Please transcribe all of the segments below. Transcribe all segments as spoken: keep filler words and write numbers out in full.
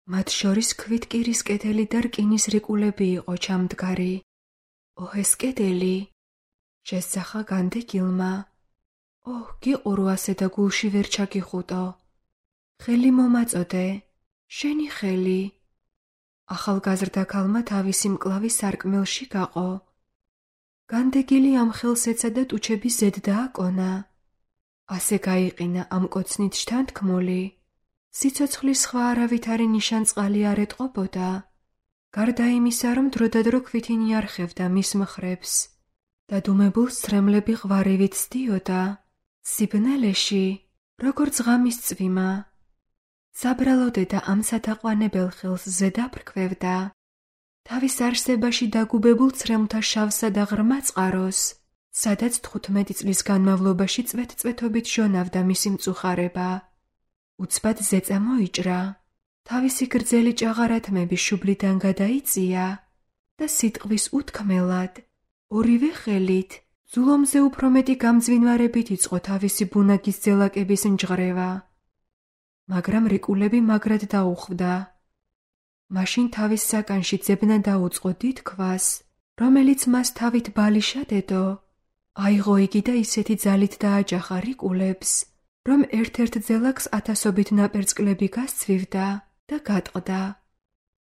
მათ შორის ქვითკირის კედელი და რკინის რიკულები იყო ჩამდგარი. ოհ, ეს კედელი! შესძახა განდეგილმა. ოհ, გიყურო ასე და გულში ვერ ჩაგიხუტო. ხელი მომაწოდე, შენი ხელი. ახალგაზრდა ქალმა თავისი მკლავი სარკმელში გაყო. განდეგილი ამ ხელს ეცა და ტუჩების ზედ დააკონა. ასე გაიყინა ამ კოცნით შთანთქმული. სიცოცხლის სხვა არავითარი ნიშანწყალი არ ეტყობოდა. გარდა იმისა, რომ დროდადრო ქვითინი არხევდა მის მხრებს და დუმებულ სცრემლები ღვარივით სდიოდა, სიბნელეში, როგორც ღამის წვიმა. საბრალო დედა ამ სათაყვანებელ ხელს ზედაფრქვევდა. თავის არსებაში დაგუბებულ ცრემლთა შავსა და ღრმა წყაროს, სადაც თხუთმეტი წლის განმავლობაში წვეთ-წვეთობით ჟონავდა მისი მწუხარება. უცბად ზეწა მოიჭრა, თავისი გრძელი ჭაღარათმები შუბლიდან გადაიწია და სიტყვის უთქმელად, ორივე ხელით, ძულომზე უფრო მეტი გამძვინვარებით იწყო თავისი ბუნაგის ძელაკების ნჯღრევა. მაგრამ რიკულები მაგრად დაუხვდა. მაშინ თავის საკანში ძებნა დაუწყო დიდ ქვას, რომელიც მას თავით ბალიშად ედო. აიღო იგი და ისეთი ძალით დააჯახა რიკულებს, რომ ერთ-ერთ ძელაკს ათასობით ნაპერწკლები გასცვივდა და გატყდა.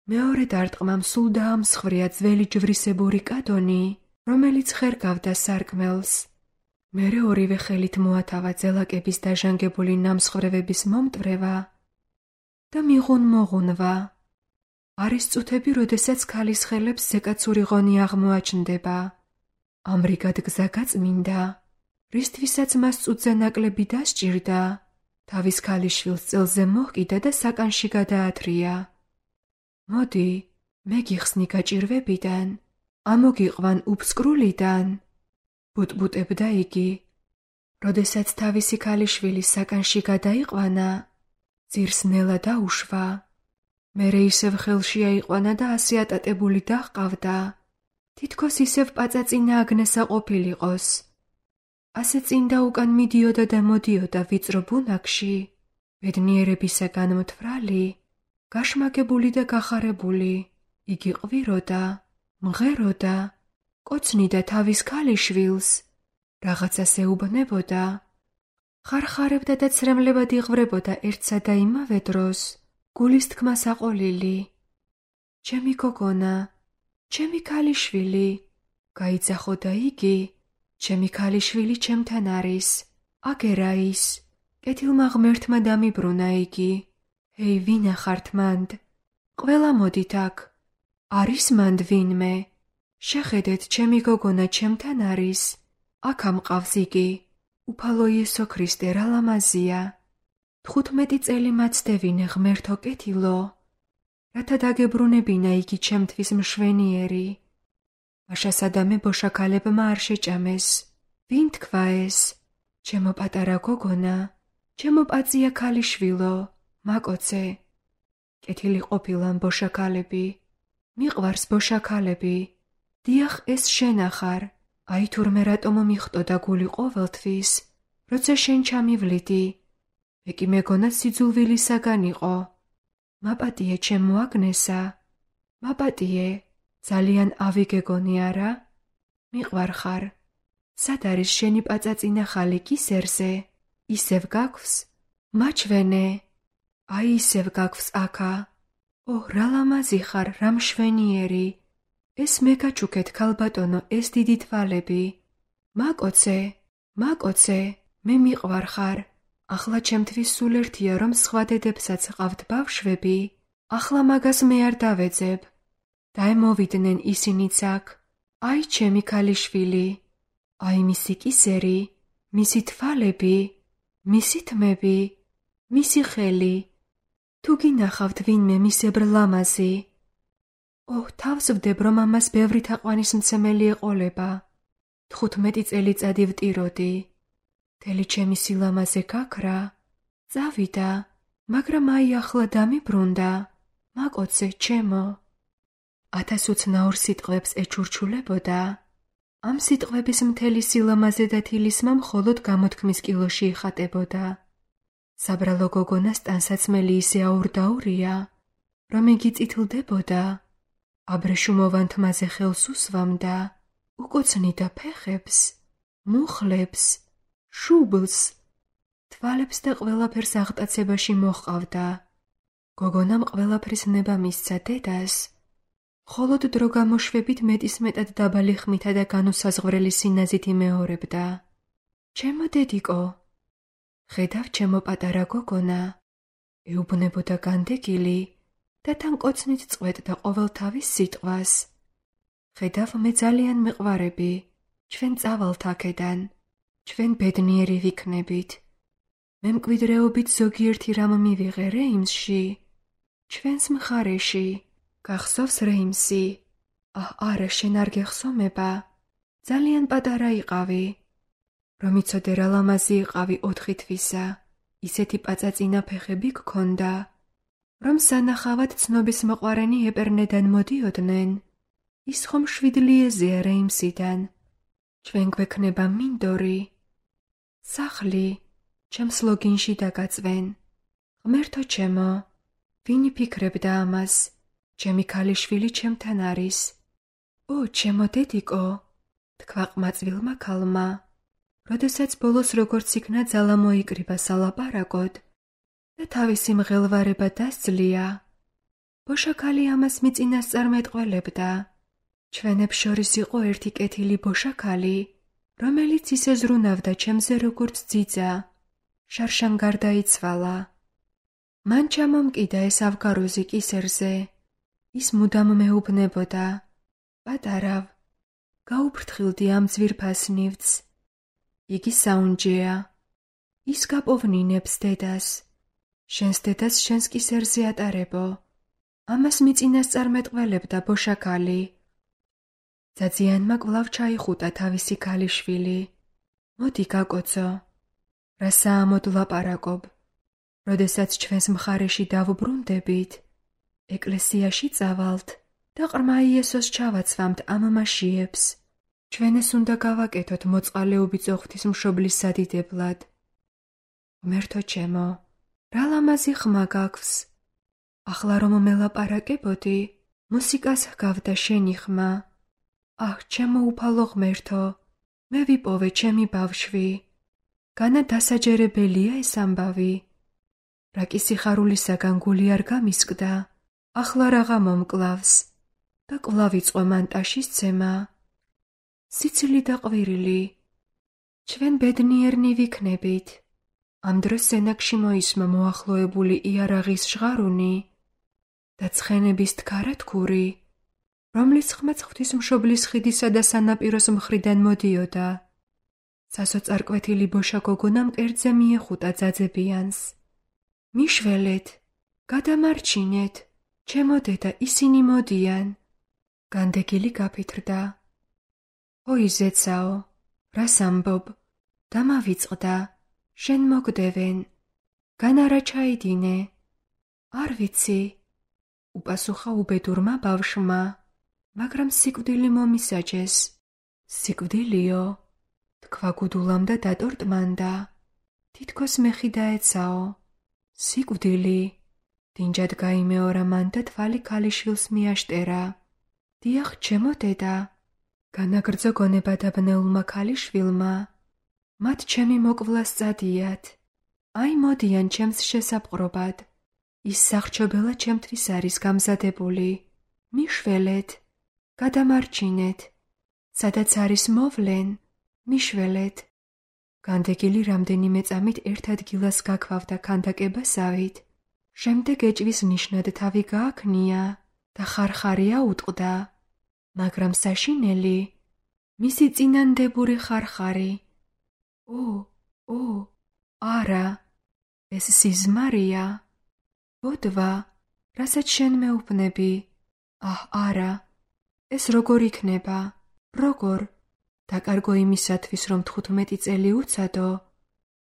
მეორე დარტყმამ სულ დაამსხვრია ძველი ჯვრისებური კადონი, რომელიც ხერგავდა სარკმელს. მერე ორივე ხელით მოათავა ძელაკების დაჟანგებული ნამსხვრევების მომტვრევა და მიღუნ-მოღუნვა. არის წუთები, როდესაც ქალის ხელებს ზეკაცური ღონი აღმოაჩნდება. ამრიგად გზა გაწმინდა, რისთვისაც მას წუთზე ნაკლები დასჭირდა, თავის ქალიშვილს წელზე მოჰკიდა და საკანში გადაათრია. მოდი, მე გიხსნი გაჭირვებიდან, ამოგიყვან უფსკრულიდან, ბუტბუტებდა იგი. როდესაც თავისი ქალიშვილი საკანში გადაიყვანა, ძირს ნელა დაუშვა. მერე ისევ ხელში აიყვანა და ასე ატატებული დაჰყავდა, თითქოს ისევ პაწაწინა აგნესა ყოფილიყოს. ასე წინ და უკან მიდიოდა და მოდიოდა ვიწრო ბუნაგში, ბედნიერებისაგან მთვრალი, გაშმაგებული და გახარებული. იგი ყვიროდა, მღეროდა, კოცნიდა თავის ქალიშვილს, რაღაცას ეუბნებოდა, ხარხარებდა და ცრემლებად იღვრებოდა ერთსა და იმავე დროს, გულის თქმა საყოლილი. ჩემი გოგონა, ჩემი ქალიშვილი, გაიძახოდა იგი, ჩემი ქალიშვილი ჩემთან არის, აგერა ის. კეთილმა ღმერთმა დამიბრუნა იგი. ჰეი, ვინა ხართ მანდ? ყველა მოდით აქ. არის მანდ ვინმე? შეხედეთ, ჩემი გოგონა ჩემთან არის. აქ ამყავს იგი. უფალო იესო ქრისტე, რა ლამაზია. თხუთმეტი წელი მაცდევინე ღმერთო კეთილო, რათა დაგებრუნებინა იგი ჩემთვის მშვენიერი. მაშასადამე ბოშაქალებმა არ შეჭამეს. ვინ თქვა ეს? ჩემო პატარა გოგონა, ჩემო პაწია ქალიშვილო, მაკოცე. კეთილი ყოფილან ბოშაქალები, მიყვარს ბოშაქალები. დიახ, ეს შენახარ. აი თურმე რატომ მიხტოდა გული ყოველთვის, როცა შენ ჩამივლიდი. მე კი მეგონა სიძულვილისაგან იყო. მაპატიე ჩემო აგნესა, მაპატიე, ძალიან ავიგეგონი არა? მიყვარხარ. სად არის შენი პაწაწინა ხალი კისერზე? ისევ გაგვს? მაჩვენე. აი ისევ გაგვს აქა. ოհ, რა ლამაზი ხარ, რა მშვენიერი. ეს მე გაჩუქეთ ქალბატონო, ეს დიდი თვალები. მაკოცე, მაკოცე, მე მიყვარხარ. ახლა ჩემთვის სულ ერთია, რომ სხვა დედებსაც ყავთ ბავშვები. ახლა მაგას მე არ დავეძებ. დაემოვიდნენ ისინიც აქ. აი ჩემი ქალიშვილი. აი მისი კისერი, მისი თვალები, მისი თმები, მისი ხელი. თუ გინახავთ ვინმე მისებრ ლამაზი. ოհ, თავს ვდებ, რომ ამას ბევრი თაყვანისმცემელი ეყოლება. თხუთმეტი წელიწადი ვტიროდი. მთელი ჩემი სილამაზე გაქრა, წავიდა, მაგრამ აი ახლა დამიბრუნდა. მაკოცე, ჩემო. ათასუცნაურ სიტყვებს ეჩურჩულებოდა. ამ სიტყვების მთელი სილამაზე და თილისმა მხოლოდ გამოთქმის კილოში იხატებოდა. საბრალო გოგონას ტანსაცმელი ისე აურდაურია, რომ იგი წითლდებოდა, აბრეშუმოვან თმაზე ხელს უსვამდა, უკოცნიდა ფეხებს, მუხლებს, შუბლს, თვალებს და ყველაფერს აღტაცებაში მოჰყავდა. გოგონამ ყველაფრის ნება მისცა დედას, მხოლოდ დრო გამოშვებით მეტისმეტად დაბალი ხმითა და განუსაზღვრელი სინაზით იმეორებდა. ჩემო დედიკო, ხედავ ჩემო პატარა გოგონა, ეუბნებოდა განდეგილი და თან კოცნით წყვეტდა ყოველთავის სიტყვას. ხედავ მე ძალიან მეყვარები, ჩვენ წავალთ აქედან, ჩვენ ბედნიერი ვიქნებით. მე მკვიდრეობით ზოგიერთი რამ მივიღე რეიმსში, ჩვენს მხარეში. გახსოვს რეიმსი? აჰ, არა, შენ არ გეხსომება? ძალიან პატარა იყავი. რომ იცოდე რა ლამაზი იყავი ოთხი თვისა, ისეთი პაწაწინა ფეხები გქონდა, რომ სანახავად ცნობის მოყვარენი ეპერნედან მოდიოდნენ. ის ხომ შვიდლიეზეა რეიმსიდან. ჩვენ გვექნება მინდორი. სახლი ჩემს ლოგინში დაგაწვენ. ღმერთო ჩემო, ვინ იფიქრებდა ამას? ჩემი ქალიშვილი ჩემთან არის. ო, ჩემო დედიკო, თქვა ყმაწვილმა ქალმა, როდესაც ბოლოს როგორც იქნა ძალა მოიკრიბა სალაპარაკოდ და თავისი მღელვარება დასძლია. ბოშაქალი ამას მიწინასწარ მეტყველებდა. ჩვენებს შორის იყო ერთი კეთილი ბოშაქალი, რომელიც ისე ზრუნავდა ჩემზე როგორც ძიძა. შარშან გარდაიცვალა. მან ჩამომკიდა ეს ავგაროზი კისერზე. ის მუდამ მეუბნებოდა, პატარავ, გაუფრთხილდი ამ ძვირფას ნივთს. იგი საუნჯეა. ის გაპოვნინებს დედას. შენს დედას შენს კისერზე ატარებო. ამას მიწინასწარ მეტყველებდა ბოშაქალი. ძაძიანმა კვლავ ჩაიხუტა თავისი ქალიშვილი. მოდი გაკოცო. რა საამოდ ლაპარაკობ. როდესაც ჩვენს მხარეში დავუბრუნდებით, ეკლესიაში წავალთ და ყრმა იესოს ჩავაცვამთ ამ მაშიებს. ჩვენეს უნდა გავაკეთოთ მოწყალეობითი ღვთისმშობლის სადიდებლად. ღმერთო ჩემო, რა ლამაზი ხმა გაქვს. ახლა რომ მელაპარაკებოდი, მუსიკას ჰგავდა შენი ხმა. აჰ, ჩემო უფალო ღმერთო, მე ვიპოვე ჩემი ბავშვი. განა დასაჯერებელია ეს ამბავი. რა კი სიხარულისაგან გული არ გამისკდა, ახლა რაღა მომკლავს და კვლავ იწყო მანტაშის ცემა. სიცილი და ყვირილი, ჩვენ ბედნიერნი ვიქნებით. ამ დროს სენაკში მოისმა მოახლოებული იარაღის ჟღარუნი და ცხენების თქარათქური, რომლის ხმაც ღვთისმშობლის ხიდისა და სანაპიროს მხრიდან მოდიოდა. სასოწარკვეთილი ბოშა გოგონა მკერდზე მიეხუტა ძაძებიანს. მიშველეთ, გადამარჩინეთ, ჩემო დედა, ისინი მოდიან. განდეგილი გაფითრდა. ой, ზეცაო, რას ამბობ? დამავიწყდა, შენ მოგდევენ. გან არა ჩაიდინე? არ ვიცი, უპასუხა უბედურმა ბავშვმა, მაგრამ სიკვდილი მომისაჯეს. სიკვდილიო, თქვა გუდულამ და დატორტმანდა. თითქოს მეხი დაეცაო. სიკვდილი, დინჯად გაიმეორა მან და თვალი ქალიშვილს მიაშტერა. დიახ, ჩემო დედა, განაგრძო გონება დაბნეულმა ქალიშვილმა. მათ ჩემი მოკვლა სწადიათ. აი მოდიან ჩემს შესაპყრობად. ის სახრჩობელა ჩემთვის არის გამზადებული. მიშველეთ, გადამარჩინეთ. სადაც არის მოვლენ, მიშველეთ. განდეგილი რამდენიმე წამით ერთ ადგილას გაქვავდა ქანდაკებასავით. შემდეგ ეჭვის ნიშნად თავი გააქნია და ხარხარია უტყდა, მაგრამ საშინელი, მისი წინანდებული ხარხარი. ო, ო, არა, ეს სიზმარია. ბოდვა, რასაც შენ მეუბნები. აჰ, არა, ეს როგორ იქნება? როგორ? დაკარგო იმისათვის, რომ თხუთმეტი წელი უცადო,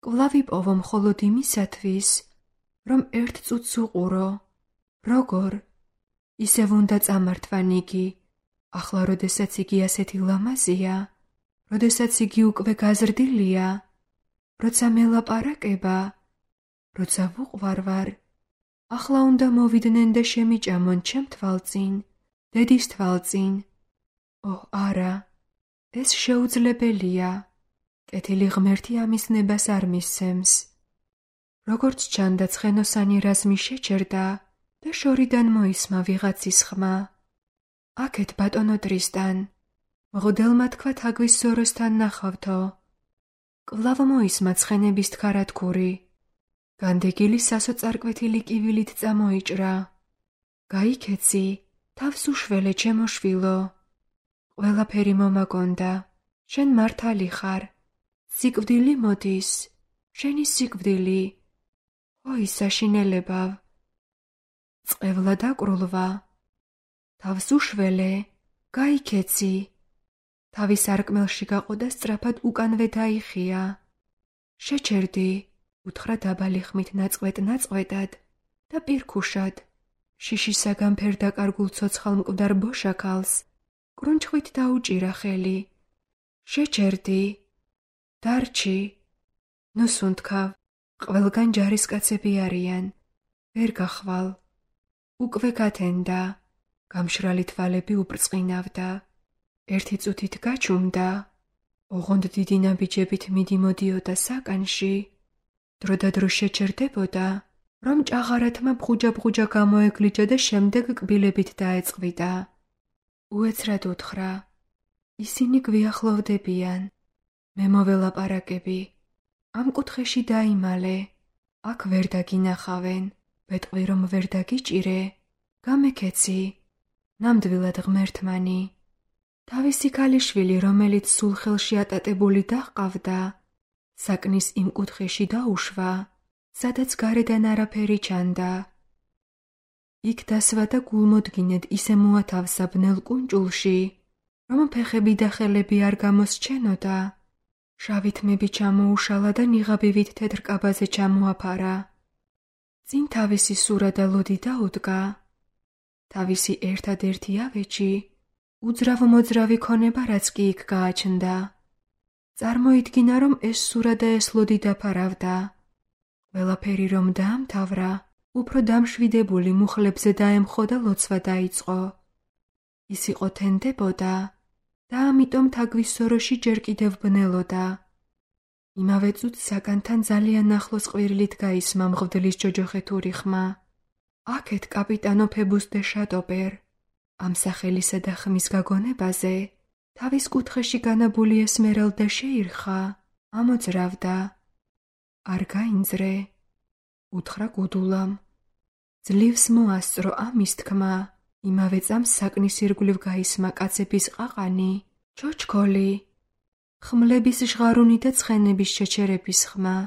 კვლავ იპოვო მხოლოდ იმისათვის, რომ ერთ წუთს უყურო. როგორ? ისევ უნდა წამართვან იგი, ახლა როდესაც იგი ასეთი ლამაზია, როდესაც იგი უკვე გაზრდილია, როცა მელაპარაკება, როცა ვუყვარვარ, ახლა უნდა მოვიდნენ და შემიჭამონ ჩემ თვალწინ, დედის თვალწინ. ო, არა, ეს შეუძლებელია. კეთილი ღმერთი ამის ნებას არ მისცემს. როგორც ჩანდა, ცხენოსანი რაზმი შეჩერდა და შორიდან მოისმა ვიღაცის ხმა. აქეთ ბატონო ტრისტან, მღვდელმა თქვა თაგვის ზოროსთან ნახავთო. კვლავ მოისმა ცხენების თხარათქური. განდეგილი სასოწარკვეთილი კივილით წამოიჭრა. გაიქეცი, თავს უშველე ჩემო შვილო. ყველაფერი მომაგონდა, შენ მართალი ხარ. სიკვდილი მოდის, შენი სიკვდილი. ой, საშინელებავ. წყევლა დაკრულვა. თავს უშველე, გაიქეცი. თავი სარკმელში გაყო და სწრაფად უკანვე დაიხია. შეჩერდი, უთხრა დაბალი ხმით ნაწყვეტ-ნაწყვეტად და პირქუშად. შიშისაგან ფერდაკარგულ ცოცხალ მკვდარ ბოშაქალს კრუნჩხვით დაუჭირა ხელი. შეჩერდი, დარჩი. ნუ სუნთქავ, ყველგან ჯარისკაცები არიან. ვერ გახვალ. უკვე გათენდა. გამშრალი თვალები უბრწყინავდა. ერთი წუთით გაჩუმდა. ოღონდ დიდი ნაბიჯებით მიდიმოდიოდა საკანში. დროდადრო შეჩერდებოდა, რომ ჭაღარათმა ბღუჯა-ბღუჯა გამოეგლიჯა და შემდეგ კბილებით დაეწყვიტა. უეცრად უთხრა, ისინი გვიახლოვდებიან. მე მოველაპარაკები. ამ კუთხეში დაიმალე. აქ ვერ დაგინახავენ. ბეტყვი რომ ვერ დაგიჭირე. გამეკეცი. ნამდვილად ღმერთმანი. თავისი ქალიშვილი, რომელიც სულ ხელში ატატებული დაჰყავდა, საკნის იმ კუთხეში დაუშვა, სადაც გარედან არაფერი ჩანდა. იქ დასვა და გულმოდგინედ ისე მოათავსა ბნელ კუნჭულში, რომ ფეხები და ხელები არ გამოსჩენოდა. შავი თმები ჩამოუშალა და ნიღაბივით თეთრ კაბაზე ჩამოაფარა. წინ თავისი სურა და ლოდი დაუდგა. თავისი ერთადერთი ავეჯი, უძრავ-მოძრავი ქონება, რაც კი იქ გააჩნდა. წარმოიდგინა, რომ ეს სურა და ეს ლოდი დაფარავდა. ყველაფერი რომ დაამთავრა, უფრო დამშვიდებული მუხლებზე დაემხო და ლოცვა დაიწყო. ის იყო თენდებოდა და ამიტომ თაგვის სოროში ჯერ კიდევ ბნელოდა. იმავე წუთს საკანთან ძალიან ახლოს ყვირილით გაისმა მღვდლის ჯოჯოხეთური ხმა. აქეთ კაპიტანო ფებუს დე შატოპერ. ამ სახელისა და ხმის გაგონებაზე თავის კუთხეში განაბული ესმერალდა შეირხა, ამოძრავდა. არ გაინძრე, უთხრა გუდულამ. ძლივს მოასწრო ამის თქმა. იმავე წამს საკნის ირგვლივ გაისმა კაცების ყაყანი, ჩოჩქოლი, ხმლების ჟღარუნი და ცხენების შეჩერების ხმა.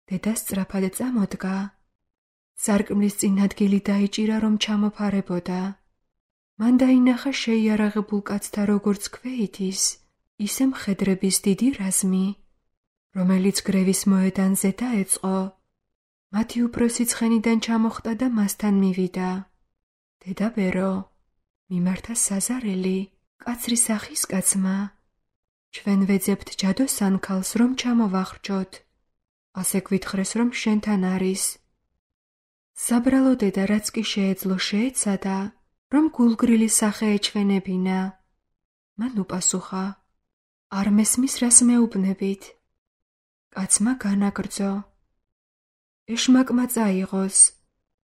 დედა სწრაფად წამოდგა. სარკმლის წინ ადგილი დაიჭირა, რომ ჩამოფარებოდა. მან დაინახა შეიარაღებულ კაცთა როგორც ქვეითის, ისე მხედრების დიდი რაზმი, რომელიც გრევის მოედანზე დაეწყო. მათი უფროსი ცხენიდან ჩამოხტა და მასთან მივიდა. დედა ბერო, მიმართა საზარელი, კაცრი სახის კაცმა. ჩვენ ვეძებთ ჯადოსან ქალს, რომ ჩამოვახრჯოთ. ასე გვითხრეს, რომ შენთან არის. საბრალო დედა, რაც კი შეეძლო შეეცადა, რომ გულგრილი სახე ეჩვენებინა. მან უპასუხა, არ მესმის, რას მეუბნებით. კაცმა განაგრძო. ეშმაკმა წაიღოს.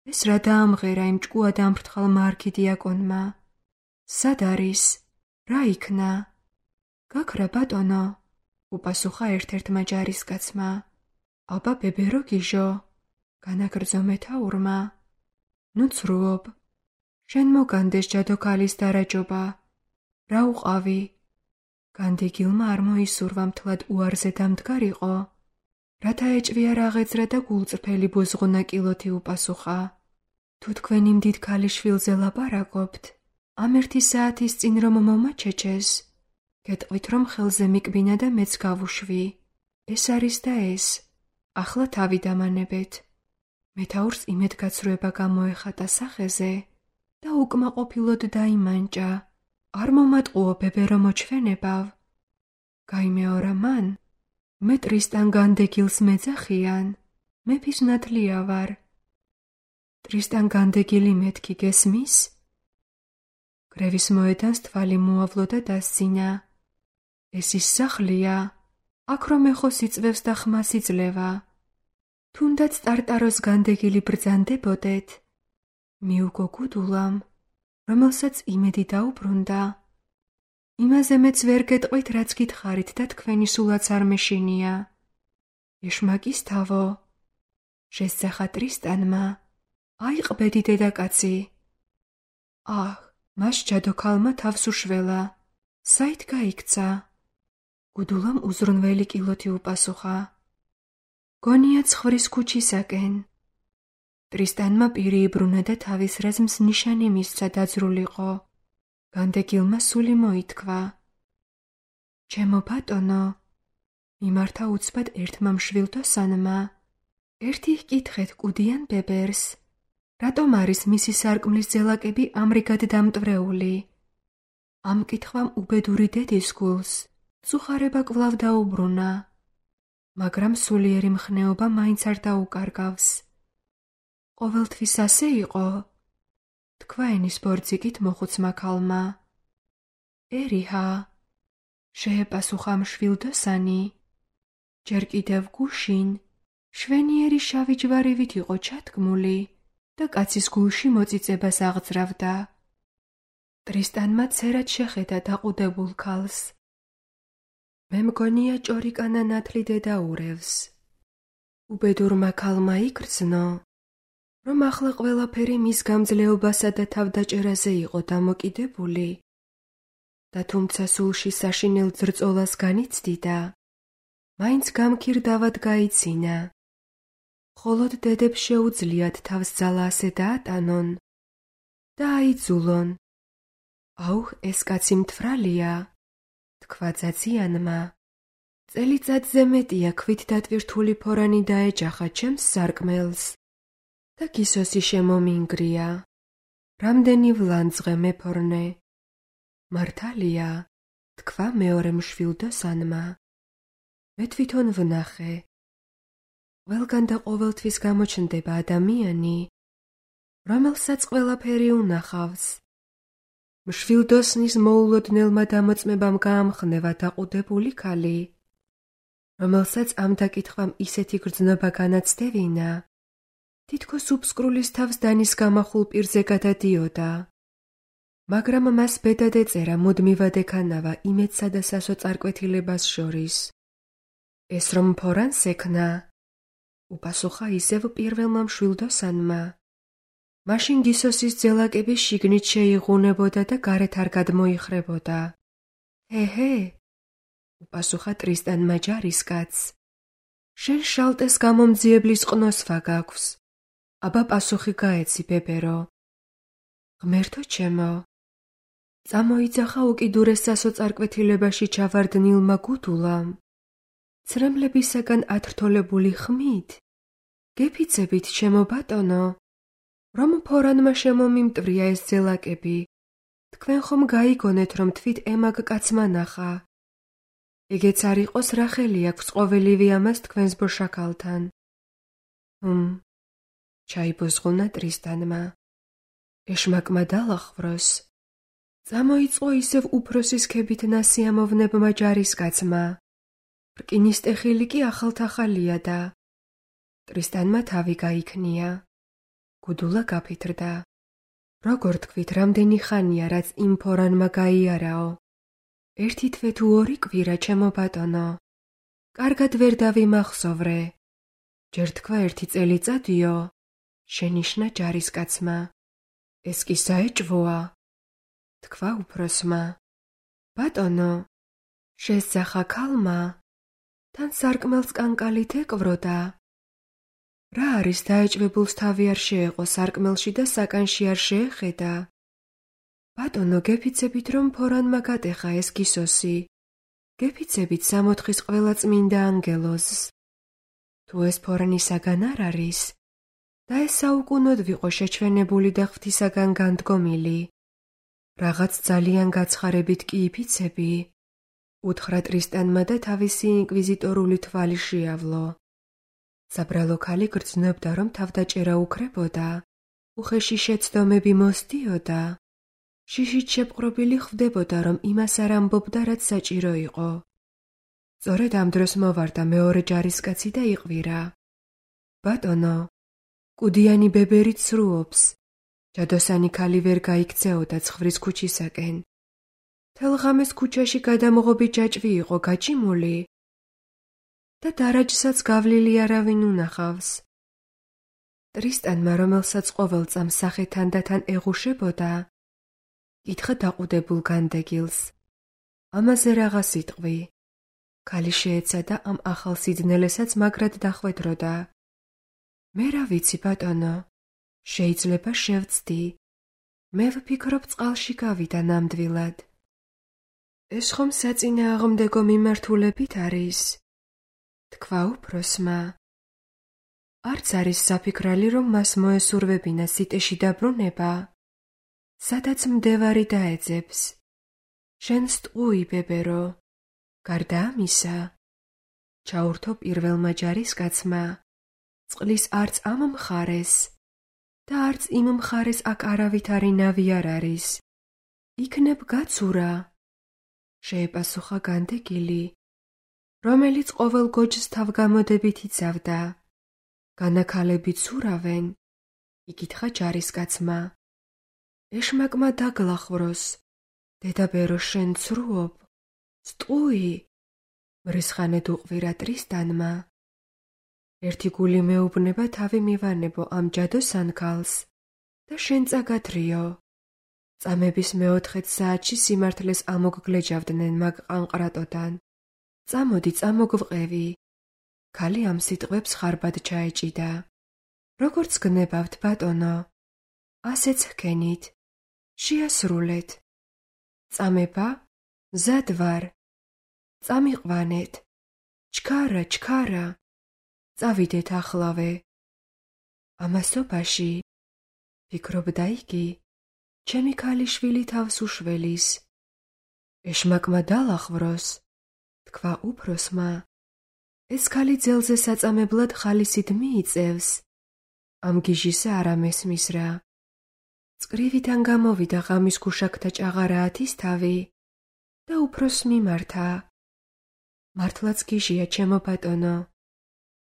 ეს რა დაამღერა იმ ჭკუად ამფრთხალმა არქიდიაკონმა. სად არის? რა იქნა? გაქრა ბატონო, უპასუხა ერთ-ერთმა ჯარისკაცმა. აბა ბებერო გიჟო, განაგრძო მეთაურმა. ნუ ცრუობ. შენ მოგანდეს ჯადოქალის დარაჯობა. რა უყავი? განდეგილმა არ მოისურვა მთლად უარზე დამდგარიყო, რათა ეჭვია რაღაცრა და გულწრფელი ბოზღუნა კილოთი უპასუხა. თუ თქვენ იმ დიდ ქალიშვილზე ლაპარაკობთ, ამ ერთი საათის წინ რომ მომაჩეჩეს, გეტყვით, რომ ხელზე მიკბინა და მეც გავუშვი. ეს არის და ეს. ახლა თავი დამანებეთ. მეთაურს იმედგაცრუება გამოეხატა სახეზე და უკმაყოფილოდ დაიმანჭა. არ მომატყუო ბებერო მოჩვენებავ. გაიმეორა მან, მე ტრისტან განდეგილს მეძახიან, მეფის ნათლია ვარ. ტრისტან განდეგილი მეთქი გესმის? კრევის მოედანს თვალი მოავლო და დასცინა. ეს ის სახლია, აქ რომ ეხოს იწვევს და ხმას იძლევა. თუნდაც ტარტაროს განდეგილი ბრძანდებოდეთ, მიუგო გუდულამ, რომელსაც იმედი დაუბრუნდა. იმაზე მეც ვერ გეტყვით, რაც გითხარით და თქვენი სულაც არ მეშინია. ეშმაკის თავო, შესძახა ტრისტანმა, აიყბედი დედაკაცი. აჰ, მას ჯადოქალმა თავს უშველა, საით გაიქცა? გუდულამ უზრუნველი კილოთი უპასუხა. გონია ცხვრის ქუჩისაკენ. ტრისტანმა პირი იბრუნა და თავის რაზმს ნიშანი მისცა დაძრულიყო. განდეგილმა სული მოითქვა. ჩემო ბატონო, მიმართა უცბად ერთმა მშვილდოსანმა, ერთი ჰკითხეთ კუდიან ბებერს, რატომ არის მისი სარკმლის ძელაკები ამრიგად დამტვრეული? ამ კითხვამ უბედური დედის გულს წუხარება კვლავ დაუბრუნა, მაგრამ სულიერი მხნეობა მაინც არ დაუკარგავს. ყოველთვის ასე იყო? თქვა ენის ბორძიკით მოხუცმა ქალმა. ერიჰა, შეეპასუხა მშვილდოსანი, ჯერ კიდევ გუშინ შვენიერი შავი ჯვარივით იყო ჩათქმული და კაცის გულში მოწიწებას აღძრავდა. ტრისტანმა ცერად შეხედა დაყუდებულ ქალს. მე მგონია ჭორიკანა ნათლი დედაურევს. უბედურმა ქალმა იგრძნო, რომ ახლა ყველაფერი მის გამძლეობასა და თავდაჭერაზე იყო დამოკიდებული და თუმცა სულში საშინელ ძრწოლას განიცდიდა, მაინც გამქირდავად გაიცინა. მხოლოდ დედებს შეუძლიათ თავს ძალა ასე დაატანონ და აიძულონ. აუხ, ეს კაცი მთვრალია, თქვა ძაციანმა. წელიწადზე მეტია ქვით დატვირთული ფორანი დაეჯახა ჩემს სარკმელს და გისოსი შემომინგრია. რამდენი ვლანძღე მეფორნე. მართალია, თქვა მეორე მშვილდოსანმა. მე თვითონ ვნახე. ყველგან და ყოველთვის გამოჩნდება ადამიანი, რომელსაც ყველაფერი უნახავს. მშვილდოსნის მოულოდნელმა დამოწმებამ გაამხნევა დაყუდებული ქალი, რომელსაც ამ დაკითხვამ ისეთი გრძნობა განაცდევინა, თითქოს უფსკრულის თავს დანის გამახულ პირზე გადადიოდა. მაგრამ მას ბედად ეწერა მუდმივად ექანავა იმედსა და სასოწარკვეთილებას შორის. ეს რომ ფორანს ექნა, უპასუხა ისევ პირველმა მშვილდოსანმა. მაშინ გისოსის ძელაკები შიგნით შეიღუნებოდა და გარეთ არ გადმოიხრებოდა. ჰე-ჰე, უპასუხა ტრისტანმა ჯარისკაცს. შენ შალტეს გამომძიებლის ყნოსვა გაქვს. აბა პასუხი გაეცი, ბებერო. ღმერთო ჩემო, წამოიძახა უკიდურეს სასოწარკვეთილებაში ჩავარდნილმა გუდულამ. ცრემლებისაგან ათრთოლებული ხმით, გეფიცებით, ჩემო ბატონო, რომ ფორანმა შემომიმტვრია ეს ძელაკები. თქვენ ხომ გაიგონეთ, რომ თვით ემაგ კაცმა ნახა. ეგეც არ იყოს, რა ხელი აქვს ყოველივე ამას თქვენს ბოშაქალთან. ჰმ, ჩაიბოზღუნა ტრისტანმა. ეშმაკმა დალახვროს. წამოიწყო ისევ უფროსის ქებით ნასიამოვნებმა ჯარისკაცმა. რკინისტეხილი კი ახალთახალია და ტრისტანმა თავი გაიქნია. გუდულა გაფითრდა. როგორ თქვით, რამდენი ხანია, რაც იმ ფორანმა გაიარაო? ერთი თვე თუ ორი კვირა, ჩემო ბატონო. კარგად ვერ დავიმახსოვრე. ჯერ თქვა ერთი წელიწადიო, შენიშნა ჯარისკაცმა. ეს კი საეჭვოა, თქვა უფროსმა. ბატონო, შესძახა ქალმა, თან სარკმელს კანკალით ეკვროდა. რა არის დაეჭვებულს თავი არ შეეყო სარკმელში და საკანში არ შეეხედა? ბატონო, გეფიცებით, რომ ფორანმა გატეხა ეს გისოსი. გეფიცებით სამოთხის ყველა წმინდა ანგელოზს. თუ ეს ფორანისაგან არ არის, და ეს საუკუნოდ ვიყო შეჩვენებული და ღვთისაგან განდგომილი. რაღაც ძალიან გაცხარებით კი იფიცები, უთხრა ტრისტანმა და თავისი ინკვიზიტორული თვალი შეავლო. საბრალო ქალი გრძნობდა, რომ თავდაჭერა უკრებოდა, უხეში შეცდომები მოსდიოდა, შიშით შეპყრობილი ხვდებოდა, რომ იმას არ ამბობდა, რაც საჭირო იყო. სწორედ ამ დროს მოვარდა მეორე ჯარისკაცი და იყვირა. ბატონო, კუდიანი ბებერი ცრუობს. ჯადოსანი ქალი ვერ გაიქცეოდა ცხვრის ქუჩისაკენ. მთელ ღამეს ქუჩაში გადამღობი ჯაჭვი იყო გაჭიმული და დარაჯსაც გავლილი არავინ უნახავს. ტრისტანმა, რომელსაც ყოველ წამს სახე თანდათან ეღუშებოდა, კითხა დაყუდებულ განდეგილს. ამაზე რაღა სიტყვი. ქალი შეეცადა ამ ახალ სიძნელესაც მაგრად დახვედროდა. მე რა ვიცი, ბატონო, შეიძლება შევცდი. მე ვფიქრობ წყალში გავიდა ნამდვილად. ეს ხომ საწინააღმდეგო მიმართულებით არის? თქვა უფროსმა. არც არის საფიქრალი, რომ მას მოესურვებინა სიტეში დაბრუნება, სადაც მდევარი დაეძებს. შენ სტყუი, ბებერო. გარდა ამისა, ჩაურთო პირველმა ჯარისკაცმა, წყლის არც ამ მხარეს და არც იმ მხარეს აქ არავითარი ნავი არ არის. იქნებ გაცურა, შეეპასუხა განდეგილი, რომელიც ყოველ გოჯს თავგამოდებით იცავდა. განაქალები ცურავენ, იკითხა ჯარისკაცმა. ეშმაკმა დაგლახვროს, დედაბერო შენ ცრუობ. სტყუი, მრისხანედ უყვირა ტრისტანმა. ერთი გული მეუბნება თავი მივანებო ამ ჯადოსან ქალს და შენ წაგათრიო. წამების მეოთხე საათში სიმართლეს ამოგგლეჯავდნენ მაგ ყანყრატოდან. წამოდი, წამოგვყევი. ქალი ამ სიტყვებს ხარბად ჩაეჭიდა. როგორც გნებავთ, ბატონო, ასეც ჰქენით. შეასრულეთ. წამება? მზად ვარ. წამიყვანეთ. ჩქარა, ჩქარა. წავიდეთ ახლავე. ამასობაში, ფიქრობდა იგი, ჩემი ქალიშვილი თავს უშველის. ეშმაკმა დალახვროს, თქვა უფროსმა. ეს ქალი ძელზე საწამებლად ხალისით მიიწევს. ამ გიჟისა არ ამესმის რა. წკრივიდან გამოვიდა ღამის გუშაკთა ჭაღარაათის თავი და უფროსს მიმართა. მართლაც გიჟია, ჩემო ბატონო.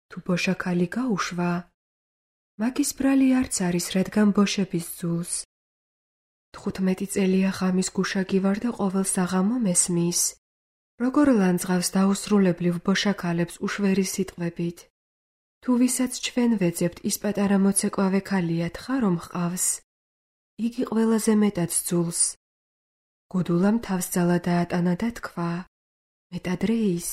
თუ ბოშა ქალი გაუშვა, მაგის ბრალი არც არის, რადგან ბოშების ძულს. თხუთმეტი წელია ღამის გუშაგი ვარ და ყოველ საღამო მესმის, როგორ ლანძღავს დაუსრულებლივ ბოშაქალებს უშვერი სიტყვებით. თუ ვისაც ჩვენ ვეძებთ, ის პატარა მოცეკვავე ქალია, თხა რომ ჰყავს. იგი ყველაზე მეტად ძულს. გუდულამ თავს ძალა დაატანა და თქვა, მეტადრე ის.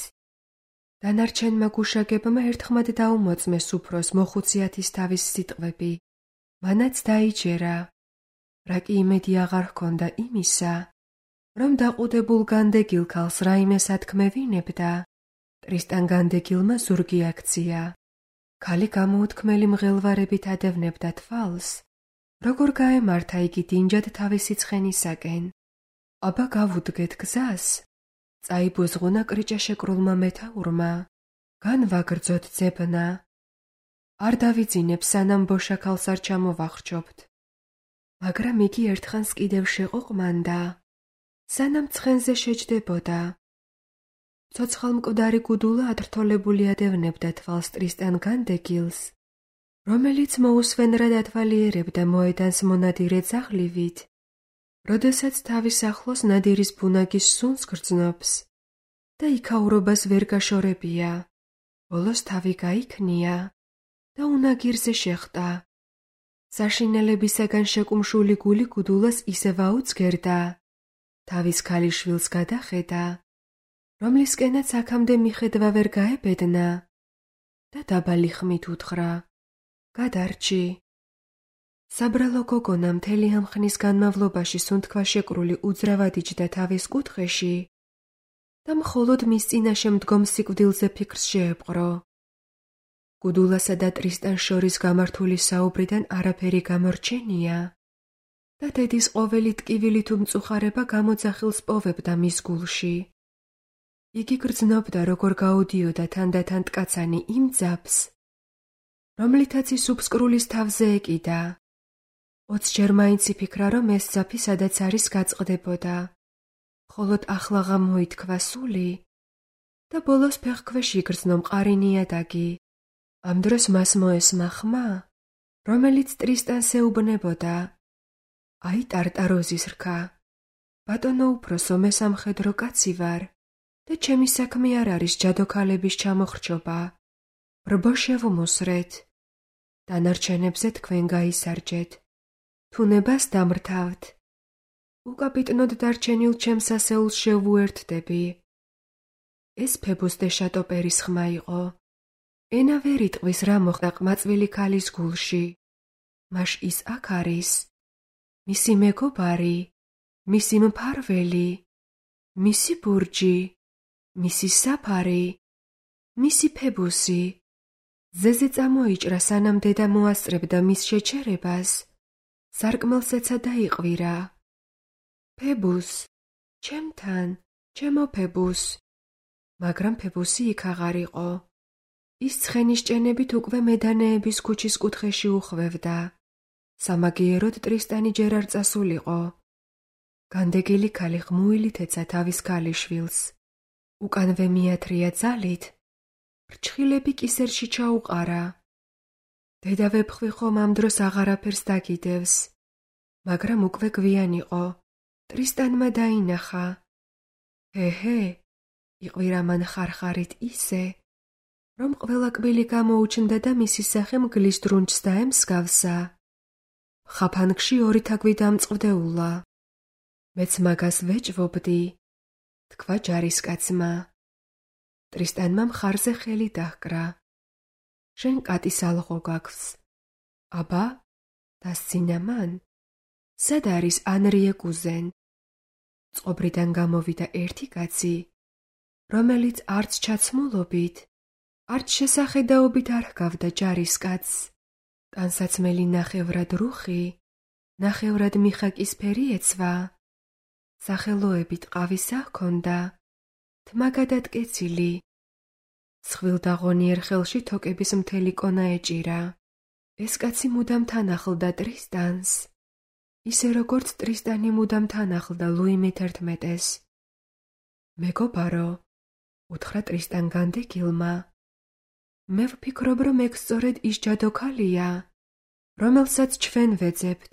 დანარჩენმა გუშაგებმა ერთხმად დაუმოწმეს უფროს მოხუციათის თავის სიტყვები. მანაც დაიჯერა. რა კი იმედი აღარ ჰქონდა იმისა, რომ დაყუდებულ განდეგილ ქალს რაიმე სათქმევინებდა, ტრისტან განდეგილმა ზურგი აქცია. ქალი გამოუთქმელი მღელვარებით ადევნებდა თვალს, როგორ გაემართა იგი დინჯად თავისი ცხენისაკენ. აბა გავუდგეთ გზას, წაიბუზღუნა კრიჭაშეკრულმა მეთაურმა, განვაგრძოთ ძებნა. არ დავიძინებ, სანამ ბოშაქალს არ ჩამოვახრჩობთ. მაგრამ იგი ერთხანს კიდევ შეყოყმანდა, სანამ ცხენზე შეჯდებოდა. ცოცხალმკვდარი გუდულა ადრთოლებული ადევნებდა თვალს ტრისტან განდეგილს, რომელიც მოუსვენრად ათვალიერებდა მოედანს მონადირე ძაღლივით, როდესაც თავის ახლოს ნადირის ბუნაგის სუნს გრძნობს და იქაურობას ვერ გაშორებია. ბოლოს თავი გაიქნია და უნაგირზე შეხვდა. საშინელებისაგან შეკუმშული გული გუდულას ისევ აუძგერდა. თავის ქალიშვილს გადახედა, რომლისკენაც აქამდე მიხედვა ვერ გაებედნა და დაბალი ხმით უთხრა, გადარჩი. საბრალო გოგონა მთელი ამ ხნის განმავლობაში სუნთქვაშეკრული უძრავად იჯდა თავის კუთხეში და მხოლოდ მის წინაშე მდგომ სიკვდილზე ფიქრს შეეპყრო. გუდულასა და ტრისტანს შორის გამართული საუბრიდან არაფერი გამორჩენია და დედის ყოველი ტკივილი თუ მწუხარება გამოძახილს პოვებდა მის გულში. იგი გრძნობდა, როგორ გაუდიოდა თანდათან მტკაცანი იმ ძაფს, რომლითაც ის უფსკრულის თავზე ეკიდა. ოცჯერ მაინც იფიქრა, რომ ეს ძაფი სადაც არის გაწყდებოდა. ხოლოდ ახლა მოითქვა სული და ბოლოს ფეხქვეშ იგრძნო მყარი ნიადაგი. ამ დროს მას მოესმა ხმა, რომელიც ტრისტანს ეუბნებოდა. აი ტარტაროზის რქა. ბატონო უფროსო, მე სამხედრო კაცი ვარ და ჩემი საქმე არ არის ჯადოქალების ჩამოხრჩობა. ბრბო შევმუსრეთ. დანარჩენებზე თქვენ გაისარჯეთ. თუნებას დამრთავთ. უკაპიტნოდ დარჩენილ ჩემს ასეულს შევუერთდები. ეს ფებუს დე შატოპერის ხმა იყო. ენა ვერ იტყვის რა მოხდა ყმაწვილი ქალის გულში. მაშ ის აქ არის. მისი მეგობარი, მისი მფარველი, მისი ბურჯი, მისი საფარი, მისი ფებუსი. ძეზე წამოიჭრა სანამ დედა მოასწრებდა მის შეჩერებას. სარკმელს ეცა დაიყვირა. ფებუს, ჩემთან, ჩემო ფებუს. მაგრამ ფებუსი იქ აღარ იყო. ის ცხენის ჭენებით უკვე მედანეების ქუჩის კუთხეში უხვევდა. სამაგიეროდ ტრისტანი ჯერ არ წასულიყო. განდეგილი ქალი ხმუილით ეცა თავის ქალიშვილს. უკანვე მიათრია ძალით. ფრჩხილები კისერში ჩაუყარა. დედა ვეფხვი ხომ ამ დროს აღარაფერს დაგიდევს. მაგრამ უკვე გვიან იყო. ტრისტანმა დაინახა. ჰე-ჰე, იყვირა მან ხარხარით ისე, რომ ყველა კბილი გამოუჩნდა და მისი სახე მგლის დრუნჩს დაემსგავსა. ხაფანგში ორი თაგვი დამწყვდეულა. მეც მაგას ვეჭვობდი, თქვა ჯარისკაცმა. ტრისტანმა მხარზე ხელი დაჰკრა. შენ კატის ალღო გაქვს. აბა, დასცინა მან. სად არის ანრიე კუზენ? წყობრიდან გამოვიდა ერთი კაცი, რომელიც არც ჩაცმულობით, არც შესახედაობით არ ჰგავდა ჯარისკაცს. ტანსაცმელი ნახევრად რუხი, ნახევრად მიხაკისფერი ეცვა. სახელოებით ყავისა ჰქონდა, თმა გადატკეცილი. ცხვილდაღონიერ ხელში თოკების მთელი კონა ეჭირა. ეს კაცი მუდამ თან ახლდა ტრისტანს, ისე როგორც ტრისტანი მუდამ თან ახლდა ლუი მეთერთმეტეს. მეგობარო, უთხრა ტრისტან განდეგილმა, მე ვფიქრობ, რომ ეგ სწორედ ის ჯადოქალია, რომელსაც ჩვენ ვეძებთ.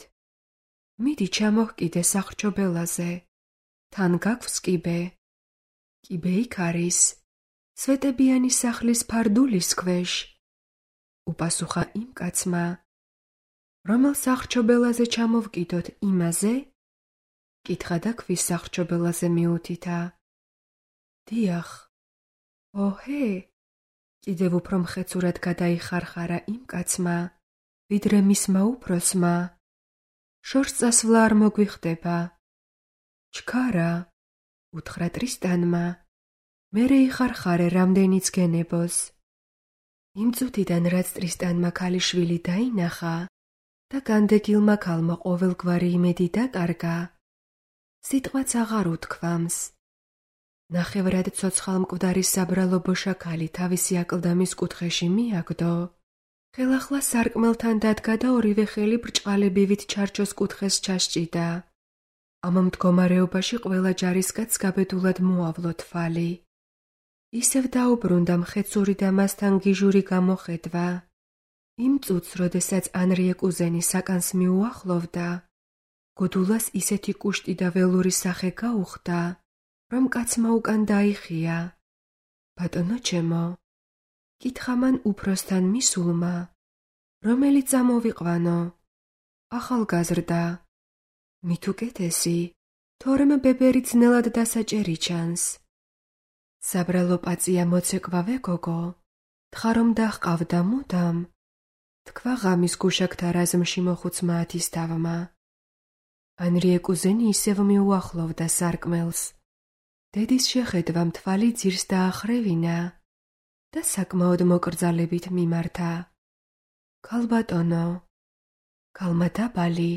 მიდი ჩამოჰკიდე სახრჩობელაზე. თან გაქვს კიბე. კიბე იქ არის, სვეტებიანი სახლის ფარდულის ქვეშ. უპასუხა იმ კაცმა, რომელ სახრჩობელაზე ჩამოვკიდოთ, იმაზე? კითხა და ქვის სახრჩობელაზე მიუთითა. დიახ. ოჰე, კიდევ უფრო მხეცურად გადაიხარხარა იმ კაცმა, ვიდრე მისმა უფროსმა. შორს წასვლა არ მოგვიხდება. ჩქარა, უთხრა ტრისტანმა, მერე იხარხარე რამდენიც გენებოს. იმ წუთიდან, რაც ტრისტანმა ქალიშვილი დაინახა და განდეგილმა ქალმა ყოველგვარი იმედი დაკარგა, სიტყვაც აღარ უთქვამს. ნახევრად ცოცხალ მკვდარი საბრალო ბოშაქალი თავისი აკლდამის კუთხეში მიაგდო. ხელახლა სარკმელთან დადგა და ორივე ხელი ბრჭყალებივით ჩარჩოს კუთხეს ჩასჭიდა. ამ მდგომარეობაში ყველა ჯარისკაცს გაბედულად მოავლო თვალი. ისევ დაუბრუნდა მხეცური და მასთან გიჟური გამოხედვა. იმ წუთს, როდესაც ანრიე კუზენი საკანს მიუახლოვდა, გოდულას ისეთი კუშტი და ველური სახე გაუხდა, რომ კაცმა უკან დაიხია. ბატონო ჩემო, კითხა მან უფროსთან მისულმა, რომელიც ამოვიყვანო. ახალგაზრდა. მით უკეთესი, თორემ ბებერი ძნელად დასაჭერი ჩანს. საბრალო პაწია მოცეკვავე გოგო, თხა რომ დაჰყავდა მუდამ, თქვა ღამის გუშაკთა რაზმში მოხუცმა ათისთავმა. ანრიე კუზენი ისევ მიუახლოვდა სარკმელს. დედის შეხედვამ თვალი ძირს დაახრევინა და საკმაოდ მოკრძალებით მიმართა. ქალბატონო. ქალმა დაბალი,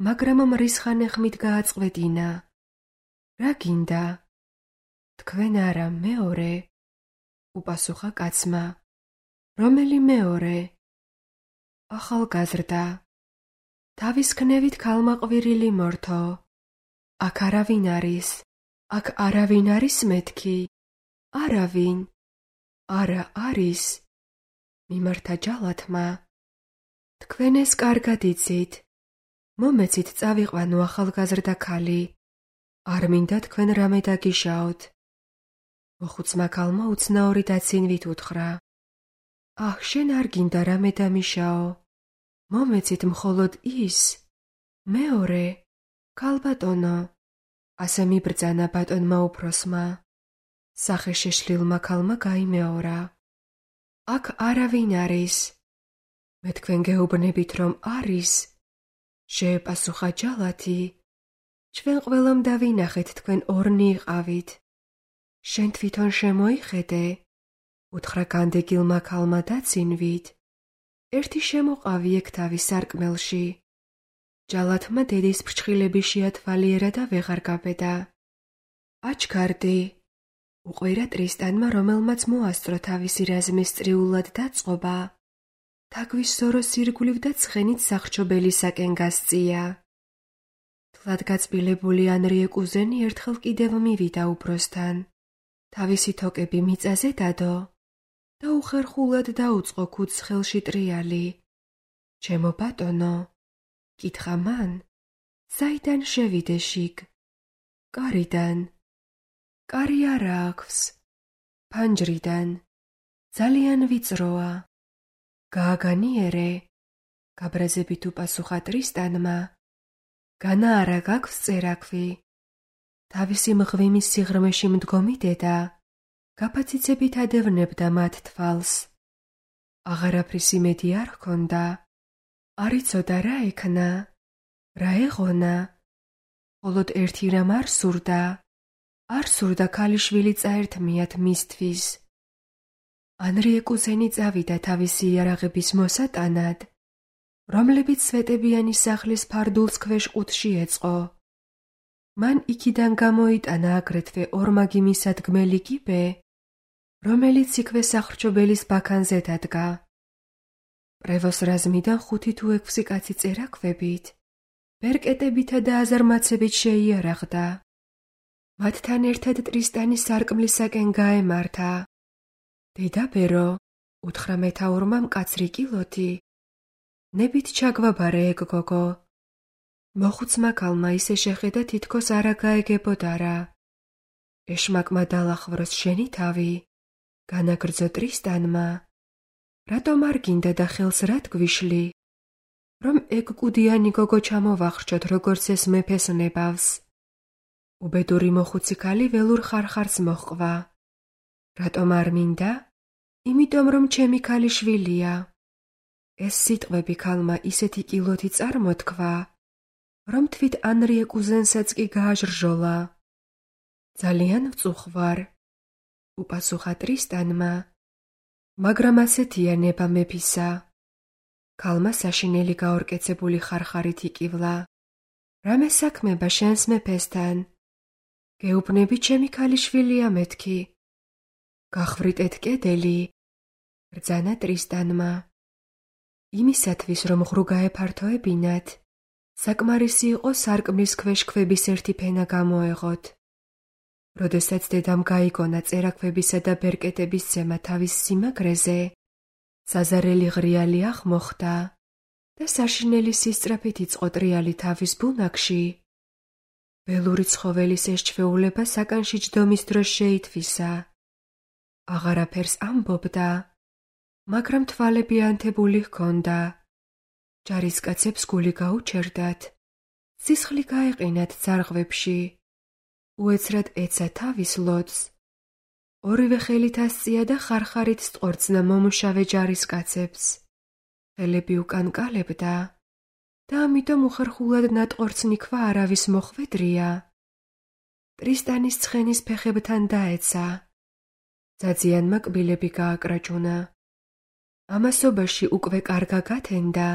მაგრამ მრისხანე ხმით გააწყვეტინა. რა გინდა? თქვენ არა, მეორე. უპასუხა კაცმა. რომელი მეორე? ახალგაზრდა. თავის ქნევით ქალმა ყვირილი მორთო. აქ არავინ არის, აქ არავინ არის მეთქი, არავინ, არა არის, მიმართა ჯალათმა. თქვენ ეს კარგად იცით, მომეცით წავიყვანო ახალგაზრდა ქალი, არ მინდა თქვენ რამე დაგიშაოთ. მოხუცმა ქალმა უცნაური დაცინვით უთხრა. აჰ, შენ არ გინდა რამე დამიშაო, მომეცით მხოლოდ ის, მეორე, ქალბატონო, ასე მიბრძანა ბატონმა უფროსმა. სახეშეშლილმა ქალმა გაიმეორა. აქ არავინ არის. მე თქვენ გეუბნებით, რომ არის, შეეპასუხა ჯალათი. ჩვენ ყველამ დავინახეთ, თქვენ ორნი იყავით. შენ თვითონ შემოიხედე, უთხრა განდეგილმა ქალმა დაცინვით. ერთი შემოყავი ეგ თავის სარკმელში. ჯალათმა დედის ფრჩხილები შეათვალიერა და ვეღარ გაბედა. აჩქარდი, უყვირა ტრისტანმა, რომელმაც მოასწრო თავისი რაზმის წრიულად დაწყობა. თაგვის სოროს ირგვლივ და ცხენით სახრჩობელისაკენ გასწია. თლად გაწბილებული ანრიე კუზენი ერთხელ კიდევ მივიდა უფროსთან. თავისი თოკები მიწაზე დადო და უხერხულად დაუწყო ქუდს ხელში ტრიალი. ჩემო ბატონო, კითხა მან, საიდან შევიდე შიგ? კარიდან. კარი არა აქვს. ფანჯრიდან. ძალიან ვიწროა. გააგანიერე, გაბრაზებით უპასუხა ტრისტანმა. განა არა გაქვს წერაქვი. თავისი მღვიმის სიღრმეში მდგომი დედა გაფაციცებით ადევნებდა მათ თვალს. აღარაფრის იმედი არ ჰქონდა. არ იცოდა რა ექნა, რა ეღონა. მხოლოდ ერთი რამ არ სურდა. არ სურდა ქალიშვილი წაერთმიათ მისთვის. ანრიე კუზენი წავიდა თავისი იარაღების მოსატანად, რომლებიც სვეტებიანი სახლის ფარდულს ქვეშ ყუთში ეწყო. მან იქიდან გამოიტანა აგრეთვე ორმაგი მისადგმელი კიბე, რომელიც იქვე სახრჩობელის ბაქანზე დადგა. პრევოს რაზმიდან ხუთი თუ ექვსი კაცი წერაქვებით, ბერკეტებითა და აზარმაცებით შეიარაღდა. მათთან ერთად ტრისტანი სარკმლისაკენ გაემართა. დედაბერო, უთხრა მეთაურმა მკაცრი კილოთი. ნებით ჩაგვაბარე ეგ გოგო. მოხუცმა ქალმა ისე შეხედა, თითქოს არა გაეგებოდა რა. ეშმაკმა დაალახვროს შენი თავი, განაგრძო ტრისტანმა. რატომ არ გინდა და ხელს რად გვიშლი? რომ ეგ კუდიანი გოგო ჩამოვახრჩოთ, როგორც ეს მეფეს ნებავს. უბედური მოხუცი ქალი ველურ ხარხარს მოჰყვა. რატომ არ მინდა? იმიტომ რომ ჩემი ქალიშვილია. ეს სიტყვები ქალმა ისეთი კილოთი წარმოთქვა, რომ თვით ანრიე კუზენსაც კი გააჟრჟოლა. ძალიან ვწუხვარ, უპასუხა ტრისტანმა, მაგრამ ასეთია ნება მეფისა. ქალმა საშინელი გაორკეცებული ხარხარით იკივლა. რამე საქმება შენს მეფესთან? გეუბნები, ჩემი ქალიშვილია მეთქი. გახვრიტეთ კედელი, ბრძანა ტრისტანმა. იმისათვის, რომ ღრუ გაეფართოებინათ, საკმარისი იყო სარკმლის ქვეშ ქვების ერთი ფენა გამოეღოთ. როდესაც დედამ გაიგონა წერაქვებისა და ბერკეტების ცემა თავის სიმაგრეზე, საზარელი ღრიალი აღმოხდა და საშინელი სისწრაფით იწყო ტრიალი თავის ბუნაგში. ველური ცხოველის ეს ჩვეულება საკანში ჯდომის დროს შეითვისა. აღარაფერს ამბობდა, მაგრამ თვალები ანთებული ჰქონდა. ჯარისკაცებს გული გაუჩერდათ, სისხლი გაეყინათ ძარღვებში. უეცრად ეცა თავის ლოდს. ორივე ხელით ასწია და ხარხარით სწორცნა მომუშავე ჯარისკაცებს. ხელები უკან კალებდა და ამიტომ უხერხულად ნატყორცნი ქვა არავის მოხვედრია. ტრისტანის ცხენის ფეხებთან დაეცა. ძაძიანმა კბილები გააკრაჭუნა. ამასობაში უკვე კარგა გათენდა,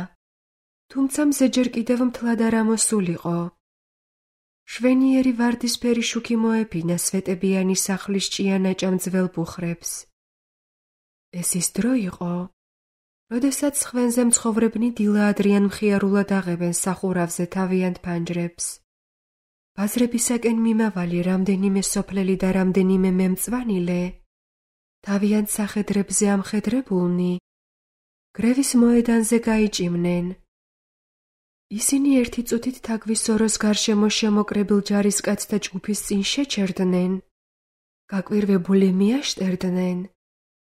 თუმცა მზე ჯერ კიდევ მთლად არ ამოსულიყო. შვენიერი ვარდისფერი შუქი მოეფინა სვეტებიანი სახლის ჭიანაჭამ ძველ ბუხრებს. ეს ის დრო იყო, როდესაც ხვენზე მცხოვრებნი დილა-ადრიან მხიარულად აღებენ სახურავზე თავიანთ ფანჯრებს. ბაზრებისაკენ მიმავალი რამდენიმე სოფლელი და რამდენიმე მემწვანილე, თავიანთ სახედრებზე ამხედრებულნი, გრევის მოედანზე გაიჭიმნენ. ისინი ერთი წუთით თაგვის სოროს გარშემო შემოკრებილ ჯარისკაცთა ჯგუფის წინ შეჩერდნენ, გაკვირვებული მიაშტერდნენ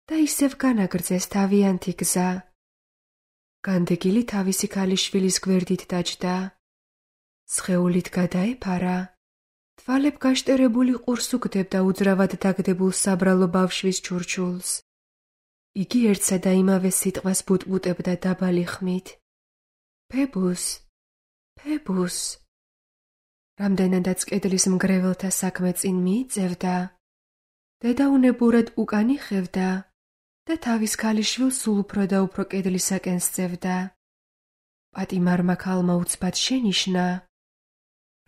და ისევ განაგრძეს თავიანთი გზა. განდეგილი თავისი ქალიშვილის გვერდით დაჯდა. სხეულით გადაეფარა, თვალებ გაშტერებული ყურს უგდებდა უძრავად დაგდებულ საბრალო ბავშვის ჩურჩულს. იგი ერთსა და იმავე სიტყვას ბუტბუტებდა დაბალი ხმით. ფებუს, ფებუს. რამდენადაც კედლის მგრეველთა საქმე წინ მიიწევდა, დედა უნებურად უკან იხევდა და თავის ქალიშვილს სულ უფრო და უფრო კედლისაკენ სწევდა. პატიმარმა ქალმა უცბად შენიშნა,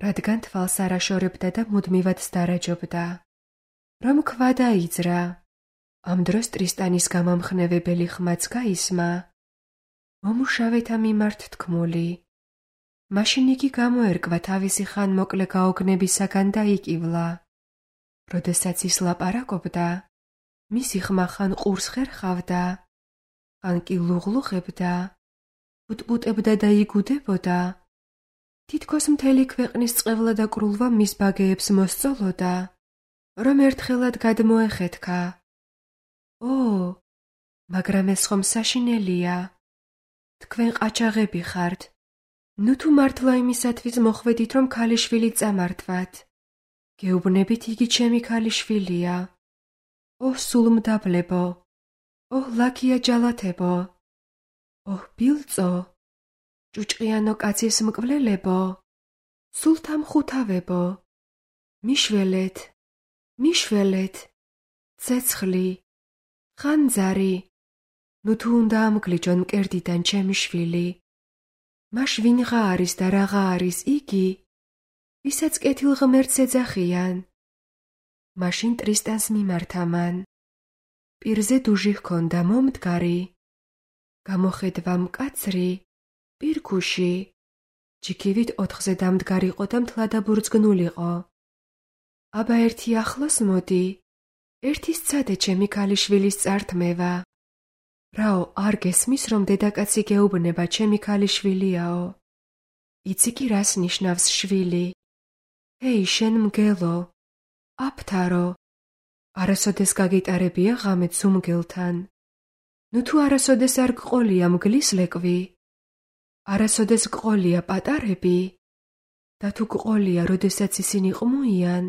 რადგან თვალს არ აშორებდა და მუდმივად სდარაჯობდა, რომ ქვა დაიძრა. ამ დროს ტრისტანის გამამხნევებელი ხმაც გაისმა, მომუშავეთა მიმართ თქმული. მაშინ იგი გამოერკვა თავისი ხანმოკლე გაოგნებისაგან და იკივლა. როდესაც ის ლაპარაკობდა, მისი ხმა ხან ყურს ხერხავდა, ხან კი ლუღლუღებდა, ბუტბუტებდა და იგუდებოდა. თითქოს მთელი ქვეყნის წყევლა და კრულვა მის ბაგეებს მოსწოლოდა, რომ ერთხელად გადმოეხეთქა. ო, მაგრამ ეს ხომ საშინელია. თქვენ ყაჩაღები ხართ. ნუ თუ მართლა იმისათვის მოხვედით, რომ ქალიშვილი წამართვათ. გეუბნებით, იგი ჩემი ქალიშვილია. ოჰ, სულ მდაბლებო. ოჰ, ლაქია ჯალათებო. ოჰ, ბილწო. ჭუჭყიანო კაცის მკვლელებო. სულ თამხუთავებო. მიშველეთ, მიშველეთ. ცეცხლი, ხანძარი. ნუ თუ უნდა ამგლიჯონ მკერდიდან ჩემი შვილი. მაშ ვინღა არის და რაღა არის იგი, ვისაც კეთილღმერთს ეძახიან. მაშინ ტრისტანს მიმართა მან. პირზე დუჟი ჰქონდა მომდგარი, გამოხედვა მკაცრი, პირქუში, ჯიქივით ოთხზე დამდგარიყო და მთლადაბურძგნულიყო. აბა ერთი ახლოს მოდი, ერთი სცადე ჩემი ქალიშვილის წართმევა. რაო, არ გესმის, რომ დედაკაცი გეუბნება ჩემი ქალიშვილიაო? იცი კი რას ნიშნავს შვილი? ჰეი, შენ მგელო, აფთარო, არასოდეს გაგიტარებია ღამე ძუმგელთან. ნუ თუ არასოდეს არ გყოლია მგლის ლეკვი, არასოდეს გყოლია პატარები, და თუ გყოლია, როდესაც ისინი ყმუიან,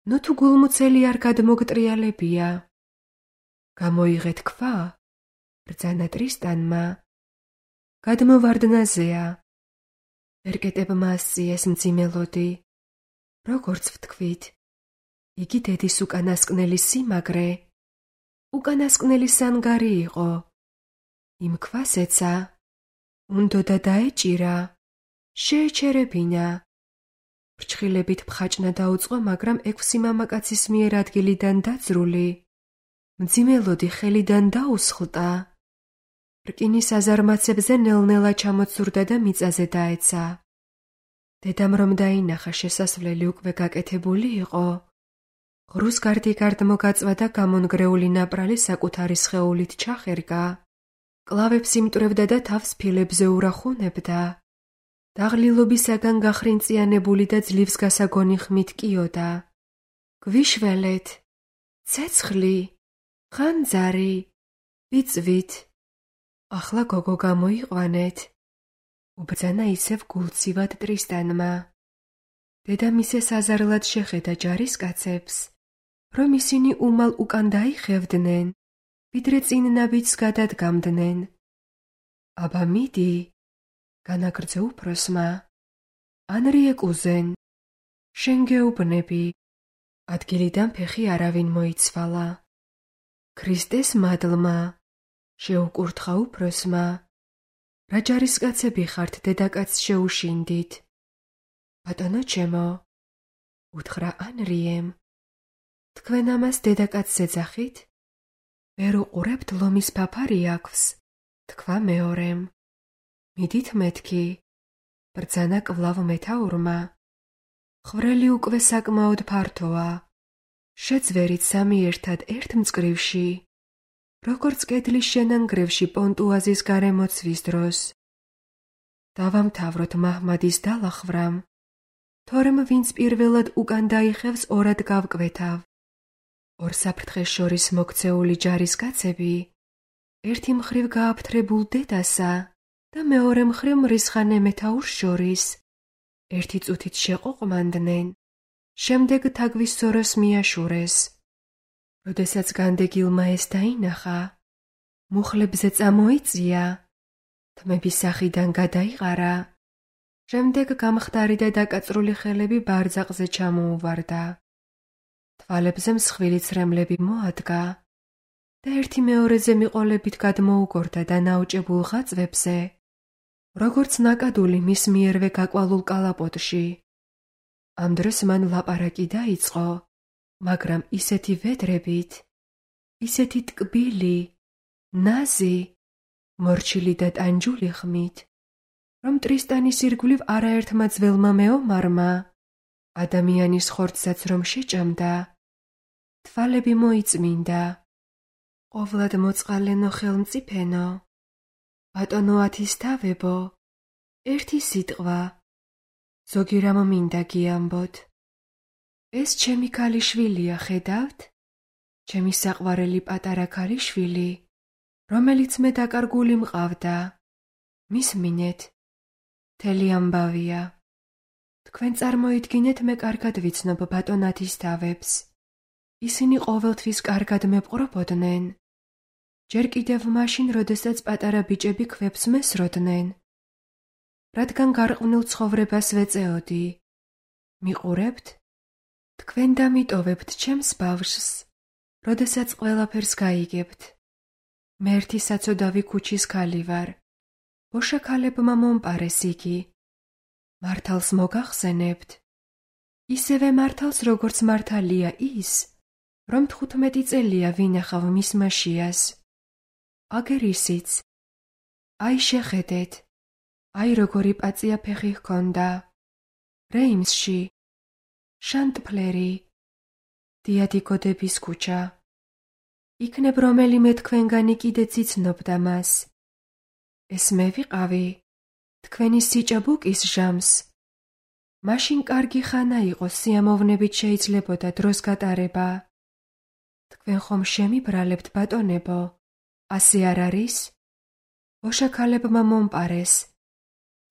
ნუ თუ გულმუცელი არ გადმოგტრიალებია. გამოიღეთ ქვა? ბრძანა ტრისტანმა. გადმოვარდნაზეა. ერკეტებმა ასწიეს მძიმელოდი. როგორც ვთქვით, იგი დედის უკანასკნელი სიმაგრე, უკანასკნელი სანგარი იყო. იმ ქვას ეცა, უნდოდა დაეჭირა, შეეჩერებინა. ფრჩხილებით ფხაჭნა დაუწყო, მაგრამ ექვსი მამაკაცის მიერ ადგილიდან დაძრული, მძიმელოდი ხელიდან დაუსხლტა. რკინის აზარმაცებზე ნელ-ნელა ჩამოცურდა და მიწაზე დაეცა. დედამ რომ დაინახა შესასვლელი უკვე გაკეთებული იყო, ღრუს გარდიგარდ მოგაწვა და გამონგრეული ნაპრალი საკუთარი სხეულით ჩახერგა. კლავებს იმტვრევდა და თავს ფილებზე ურახუნებდა. დაღლილობისაგან გახრინწიანებული და ძლივს გასაგონი ხმით კიოდა. გვიშველეთ, ცეცხლი, ხანძარი, ვიწვით. ახლა გოგო გამოიყვანეთ. უბრძანა ისევ გულცივად ტრისტანმა. დედამისე საზარლად შეხედა ჯარისკაცებს, რომ ისინი უმალ უკან დაიხევდნენ, ვიდრე წინ ნაბიჯს გადადგამდნენ. აბა მიდი, განაგრძო უფროსმა, ან რიეკუზენ, შენ გეუბნები. ადგილიდან ფეხი არავინ მოიცვალა. ქრისტეს მადლმა, შეუკურთხა უფროსმა, რა ჯარისკაცები ხართ დედაკაცს შეუშინდით? ბატონო ჩემო, უთხრა ანრიემ, თქვენ ამას დედაკაცს ეძახით? ვერ უყურებთ, ლომის ფაფარი აქვს, თქვა მეორემ. მიდით მეთქი. ბრძანა კვლავ მეთაურმა. ხვრელი უკვე საკმაოდ ფართოა. შეძვერით სამი ერთად ერთ მწკრივში. როგორც კედლის შენანგრევში პონტუაზის გარემოცვის დროს. დავამთავროთ მაჰმადის დალახვრამ. თორემ ვინც პირველად უკან დაიხევს ორად გავკვეთავ. ორ საფრთხეს შორის მოქცეული ჯარისკაცები ერთი მხრივ გააფთრებულ დედასა და მეორე მხრივ მრისხანე მეთაურს შორის ერთი წუთით შეყოყმანდნენ, შემდეგ თაგვის სოროს მიაშურეს. როდესაც განდეგილმა ეს დაინახა, მუხლებზე წამოიწია, თმების სახიდან გადაიყარა, შემდეგ გამხდარი და დაკაწრული ხელები ბარძაყზე ჩამოუვარდა. თვალებზე მსხვილი ცრემლები მოადგა და ერთი მეორეზე მიყოლებით გადმოუგორდა და ნაოჭებულ ხაწვებზე, როგორც ნაკადული მის მიერვე გაკვალულ კალაპოტში. ამ დროს მან ლაპარაკი დაიწყო, მაგრამ ისეთი ვედრებით, ისეთი ტკბილი, ნაზი, მორჩილი და ტანჯული ხმით, რომ ტრისტანის ირგვლივ არაერთმა ძველმა მეომარმა, ადამიანის ხორცსაც რომ შეჭამდა, თვალები მოიწმინდა. ყოვლად მოწყალენო ხელმწიფენო, ბატონო ათისთავებო, ერთი სიტყვა, ზოგი რამ მინდა გიამბოთ. ეს ჩემი ქალიშვილია, ხედავთ? ჩემი საყვარელი პატარა ქალიშვილი, რომელიც მე დაკარგული მყავდა. მისმინეთ, მთელი ამბავია. თქვენ წარმოიდგინეთ, მე კარგად ვიცნობ ბატონ ათისთავებს. ისინი ყოველთვის კარგად მეპყრობოდნენ. ჯერ კიდევ მაშინ, როდესაც პატარა ბიჭები ქვებს მესროდნენ. რადგან გარყვნილ ცხოვრებას ვეწეოდი. მიყურებთ? თქვენ დამიტოვებთ ჩემს ბავშვს, როდესაც ყველაფერს გაიგებთ. მე ერთი საცოდავი ქუჩის ქალი ვარ. ბოშა ქალებმა მომპარეს იგი. მართალს მოგახსენებთ? ისევე მართალს, როგორც მართალია ის, რომ თხუთმეტი წელია ვინახავ მის მაშიას. აგერ ისიც. აი შეხედეთ, აი როგორი პაწია ფეხი ჰქონდა. რეიმსში, შანტფლერი, დიადიკოდების ქუჩა. იქნებ რომელიმე თქვენგანი კიდეც იცნობდა მას. ეს მე ვიყავი, თქვენი სიჭაბუკის ჟამს. მაშინ კარგი ხანა იყო, სიამოვნებით შეიძლებოდა დროს გატარება. თქვენ ხომ შემიბრალებთ, ბატონებო, ასე არ არის? ბოშა ქალებმა მომპარეს.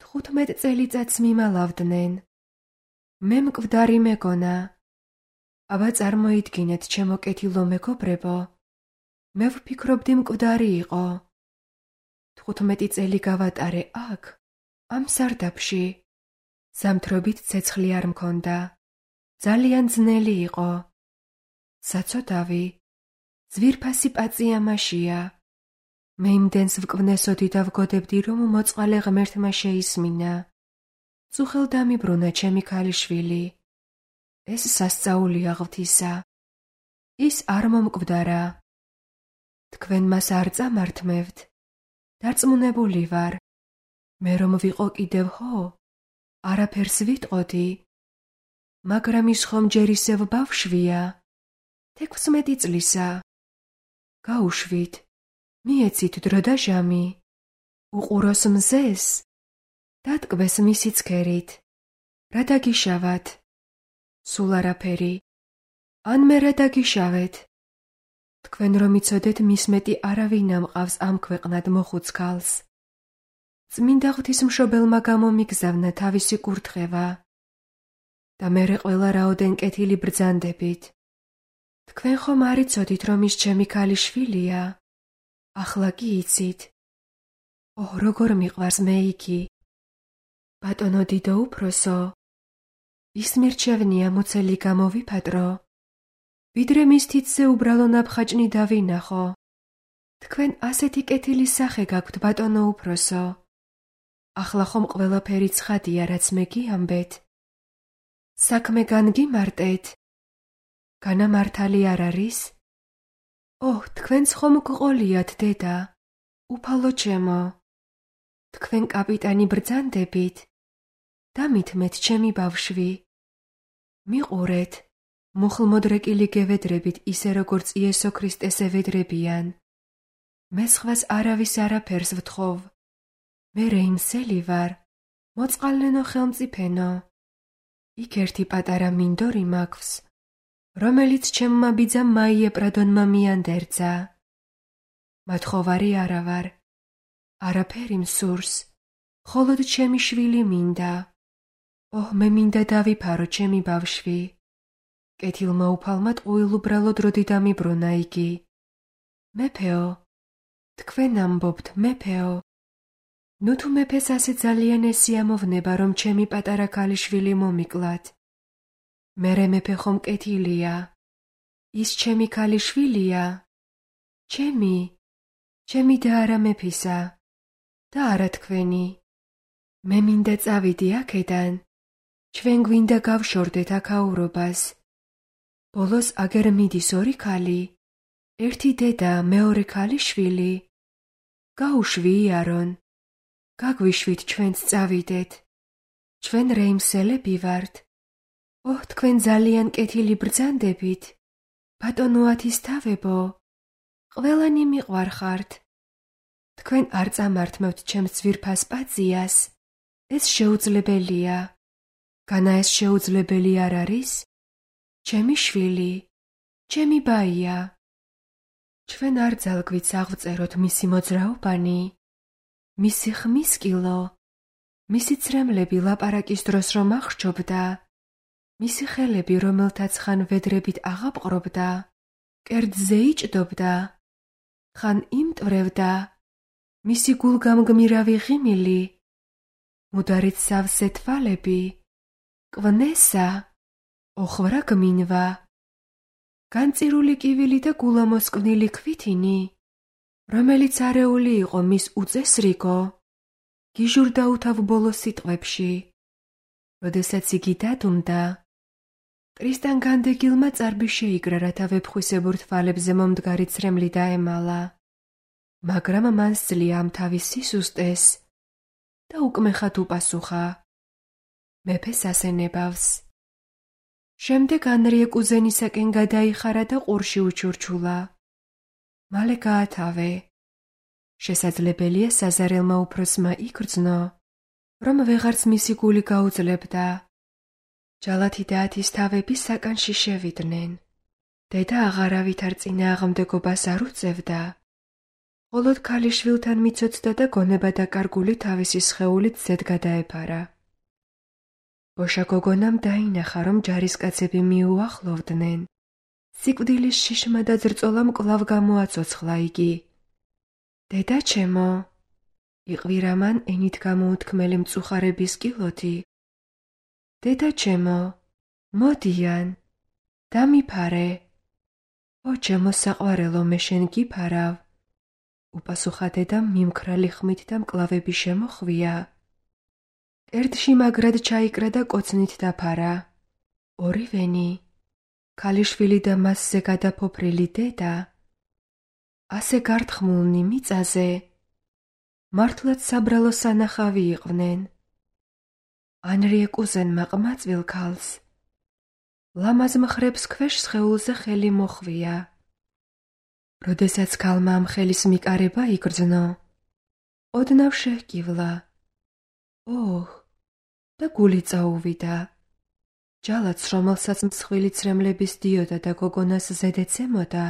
თხუთმეტ წელიწადს მიმალავდნენ. მე მკვდარი მეგონა. აბა წარმოიდგინეთ, ჩემო კეთილო მეგობრებო, მე ვფიქრობდი მკვდარი იყო. თხუთმეტი წელი გავატარე აქ, ამ სარდაფში. ზამთრობით ცეცხლი არ მქონდა. ძალიან ძნელი იყო. საცოდავი, ძვირფასი პაწია მაშია. მე იმდენს ვკვნესოდი და ვგოდებდი, რომ მოწყალე ღმერთმა შეისმინა. წუხელ დამიბრუნა ჩემი ქალიშვილი. ეს სასწაულია ღვთისა. ის არ მომკვდარა. თქვენ მას არ წამართმევთ. დარწმუნებული ვარ. მე რომ ვიყო კიდევ ხო, არაფერს ვიტყოდი. მაგრამ ის ხომ ჯერ ისევ ბავშვია. თექვსმეტი წლისა. გაუშვით. მიეცით დრო და ჟამი. უყუროს მზეს. დატკბეს მისი ცქერით. რა დაგიშავათ? სულ არაფერი. ან მე რა დაგიშავეთ? თქვენ რომ იცოდეთ, მის მეტი არავინ ამყავს ამ ქვეყნად მოხუც ქალს. წმინდა ღვთისმშობელმა გამომიგზავნა თავისი კურთხევა. და მერე ყველა რაოდენ კეთილი ბრძანდებით. თქვენ ხომ არ იცოდით, რომ ის ჩემი ქალიშვილია? ახლა კი იცით. ოჰ, როგორ მიყვარს მე იგი. ბატონო დიდო უფროსო, ის მირჩევნია მოცელი გამოვიფატრო, ვიდრე მის თითზე უბრალო ნაბხაჭნი დავინახო. თქვენ ასეთი კეთილი სახე გაქვთ, ბატონო უფროსო. ახლა ხომ ყველაფერი ცხადია, რაც მე გიამბეთ. საქმე განგიმარტეთ. განამართალი არ არის? ოჰ, თქვენც ხომ გყოლიათ, დედა, უფალო ჩემო, თქვენ კაპიტანი ბრძანდებით და მithმეთ ჩემი ბავშვი. მიყურეთ, მუხლმოდრეკილი გევედრებით ისე როგორც იესო ქრისტეს ევედრებიან. მე სხვას არავის არაფერს ვთხოვ. მე რეიმსელი ვარ, მოწყალენო ხელმწიფენო. იქ ერთი პატარა მინდორი მაქვს, რომელიც ჩემმა ბიძამ მაიეპრადონმა მიანდერძა. მათხოვარი არა ვარ, არაფერი მსურს, მხოლოდ ჩემი შვილი მინდა. ოჰ, მე მინდა დავიფარო ჩემი ბავშვი. კეთილმა უფალმა ტყუილუბრალოდ როდი დამიბრუნა იგი. მეფეო, თქვენ ამბობთ, მეფეო. ნუ თუ მეფეს ასე ძალიან ესიამოვნება, რომ ჩემი პატარა ქალიშვილი მომიკლათ. მერე მეფე ხომ კეთილია. ის ჩემი ქალიშვილია. ჩემი, ჩემი და არა მეფისა და არა თქვენი. მე მინდა წავიდი აქედან. ჩვენ გვინდა გავშორდეთ აქაურობას. ბოლოს აგერ მიდის ორი ქალი, ერთი დედა, მეორე ქალიშვილი. გაუშვი იარონ, გაგვიშვით ჩვენც წავიდეთ. ჩვენ რეიმსელები ვართ. ოჰ, თქვენ ძალიან კეთილი ბრძანდებით. ბატონო ათისთავებო, ყველანი მიყვარხართ. თქვენ არ წამართმევთ ჩემს ძვირფას პაციას. ეს შეუძლებელია. განა ეს შეუძლებელი არ არის? ჩემი შვილი, ჩემი ბაია. ჩვენ არ ძალგვით აღვწეროთ მისი მოძრაობანი, მისი ხმის კილო, მისი ცრემლები ლაპარაკის დროს რომ აღრჩობდა, მისი ხელები რომელთაც ხან ვედრებით აღაპყრობდა, კერძზე იჭდობდა, ხან იმტვრევდა, მისი გულგამგმირავი ღიმილი, მუდარით სავსე თვალები, კვნესა, ოხვრა გმინვა, განწირული კივილი და გულამოსკვნილი ქვითინი, რომელიც არეული იყო მის უწესრიგო, გიჟურდა უთავ ბოლოს სიტყვებში. როდესაც იგი დადუმდა, მტრისთან განდეგილმა წარბი შეიკრა, რათა ვეფხვისებურ თვალებზე მომდგარი ცრემლი დაემალა, მაგრამ მან სძლია ამ თავის სისუსტეს და უკმეხად უპასუხა. მეფეს ასენებავს. შემდეგ ანრიე კუზენისაკენ გადაიხარა და ყურში უჩურჩულა. მალე გაათავე. შესაძლებელია საზარელმა უფროსმა იგრძნო, რომ ვეღარც მისი გული გაუძლებდა. ჯალათი და ათისთავები საკანში შევიდნენ. დედა აღარავით არ წინააღმდეგობას არ უწევდა. მხოლოდ ქალიშვილთან მიცოცდა და გონება დაკარგული თავისი სხეულით ზედ გადაეფარა. ბოშა გოგონამ დაინახა, რომ ჯარისკაცები მიუახლოვდნენ. სიკვდილის შიშმა და ძრწოლამ კვლავ გამოაცოცხლა იგი. დედა ჩემო, იყვირა მან ენით გამოუთქმელი მწუხარების კილოთი. დედა ჩემო, მოდიან, დამიფარე. ო ჩემო საყვარელო, მე შენ გიფარავ. უპასუხა დედამ მიმქრალი ხმით და მკლავები შემოხვია. კერძში მაგრად ჩაიკრა და კოცნით დაფარა. ორივენი, ქალიშვილი და მასზე გადაფოფრილი დედა, ასე გართხმულნი მიწაზე, მართლაც საბრალო სანახავი იყვნენ. ანრიე კუზენმა ყმაწვილ ქალს, ლამაზ მხრებს ქვეშ სხეულზე ხელი მოხვია. როდესაც ქალმა ამ ხელის მიკარება იგრძნო, ოდნავ შეჰკივლა. ოჰ, და გული წაუვიდა. ჯალათს, რომელსაც მსხვილი ცრემლების დიოდა და გოგონას ზედეცემოდა,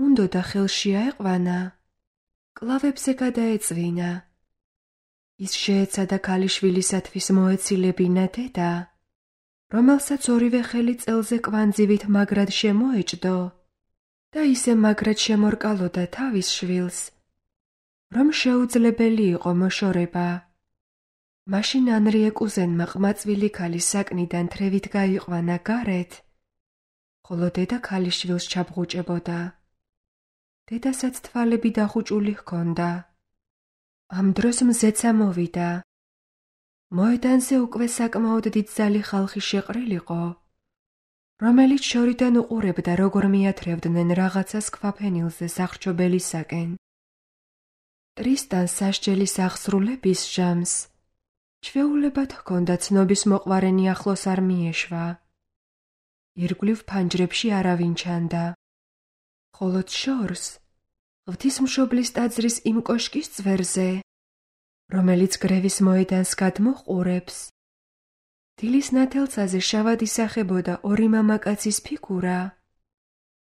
უნდოდა ხელში აეყვანა, კლავებზე გადაეწვინა. ის შეეცადა ქალიშვილისათვის მოეცილებინა დედა, რომელსაც ორივე ხელი წელზე კვანძივით მაგრად შემოეჭდო და ისე მაგრად შემორკალოდა თავის შვილს, რომ შეუძლებელი იყო მოშორება. მაშინ ანრიე კუზენმა ყმაწვილი ქალის საკნიდან თრევით გაიყვანა გარეთ, ხოლო დედა ქალიშვილს ჩაბღუჭებოდა. დედასაც თვალები დახუჭული ჰქონდა. ამ დროს მზეცა მოვიდა. მოედანზე უკვე საკმაოდ დიდძალი ხალხი შეყრილიყო, რომელიც შორიდან უყურებდა, როგორ მიათრევდნენ რაღაცას ქვაფენილზე სახლჩობელისაკენ. ტრისტანს სასჯელის აღსრულების ჟამს ჩვეულებად ჰქონდა ცნობის მოყვარენი ახლოს არ მიეშვა. ირგვლივ ფანჯრებში არავინ ჩანდა. ხოლო შორს ღვთისმშობლის ტაძრის იმ კოშკის წვერზე, რომელიც გრევის მოედანს გადმოჰყურებს, დილის ნათელცაზე შავად ისახებოდა ორი მამაკაცის ფიგურა,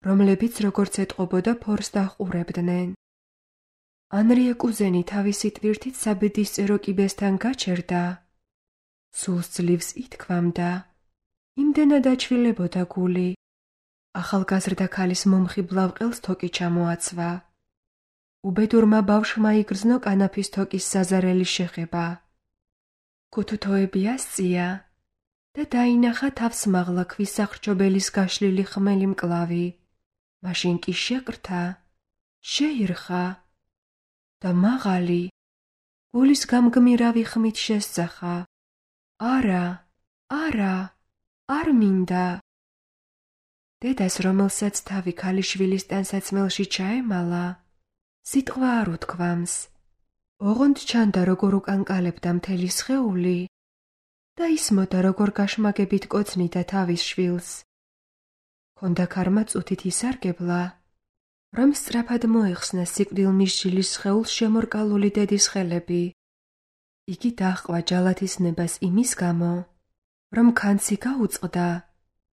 რომლებიც როგორც ეტყობოდა ფორს დაჰყურებდნენ. ანრია კუზენი თავისი ტვირთით საბედისწერო კიბესთან გაჩერდა, სულს ძლივს ითქვამდა, იმდენად აჩვილებოდა გული, ახალგაზრდა ქალის მომხიბლავ ყელს თოკი ჩამოაცვა. უბედურმა ბავშვმა იგრძნო კანაფის თოკის საზარელი შეხება. ქუთუთოები ასწია და დაინახა თავს მაღლა ქვის სახრჩობელის გაშლილი ხმელი მკლავი. მაშინ კი შეკრთა, შეირხა და მაღალი, გულის გამგმირავი ხმით შესძახა. არა, არა, არ მინდა. დედას, რომელსაც თავი ქალიშვილის ტანსაცმელში ჩაემალა, სიტყვა არ უთქვამს. ოღონდ ჩანდა როგორ უკანკალებდა მთელი სხეული და ისმოდა როგორ გაშმაგებით კოცნიდა თავის შვილს. ჰქონდა ქარმა წუთით ისარგებლა, რომ სწრაფად მოეხსნა სიკვდილმისჯილის სხეულს შემორკალული დედის ხელები. იგი დაჰყვა ჯალათის ნებას იმის გამო, რომ ქანცი გაუწყდა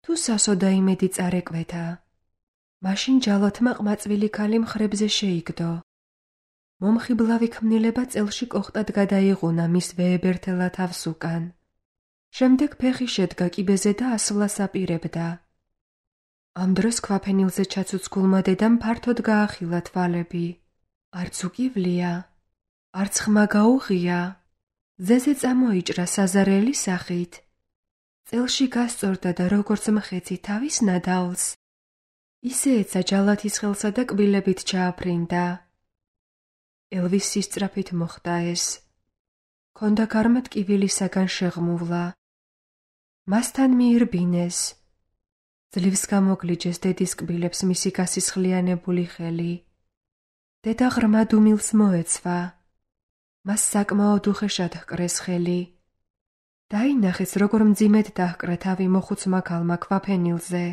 თუ სასოდა იმედი წარეკვეთა. მაშინ ჯალათმა ყმაწვილი ქალი მხრებზე შეიგდო. მომხიბლავი ქმნილება წელში კოხტად გადაიღუნა მის ვეებერთელა თავს უკან. შემდეგ ფეხი შედგა კიბეზე და ასვლას აპირებდა. ამ დროს ქვაფენილზე ჩაცუცქულმა დედამ ფართოდ გაახილა თვალები. არც უკივლია, არც ხმა გაუღია. ძეზე წამოიჭრა საზარელი სახით. წელში გასწორდა და როგორც მხეცი თავის ნადავლს, ისე ეცა ჯალათის ხელსა და კბილებით ჩააფრინდა. ელვის სისწრაფით მოხდა ეს. ჰქონდა გარმა ტკივილისაგან შეღმუვლა. მასთან მიირბინეს. ძლივს გამოგლიჯეს დედის კბილებს მისი გასისხლიანებული ხელი. დედა ღრმა დუმილს მოეცვა. მას საკმაოდ უხეშად ჰკრეს ხელი. დაინახეს, როგორ მძიმედ დაჰკრა თავი მოხუცმა ქალმა ქვაფენილზე.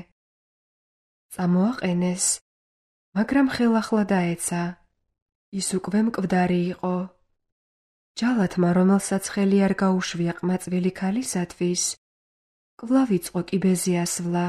წამოაყენეს, მაგრამ ხელახლა დაეცა. ის უკვე მკვდარი იყო. ჯალათმა, რომელსაც ხელი არ გაუშვია ყმაწვილი ქალისათვის, კვლავ იწყო კიბეზე ასვლა.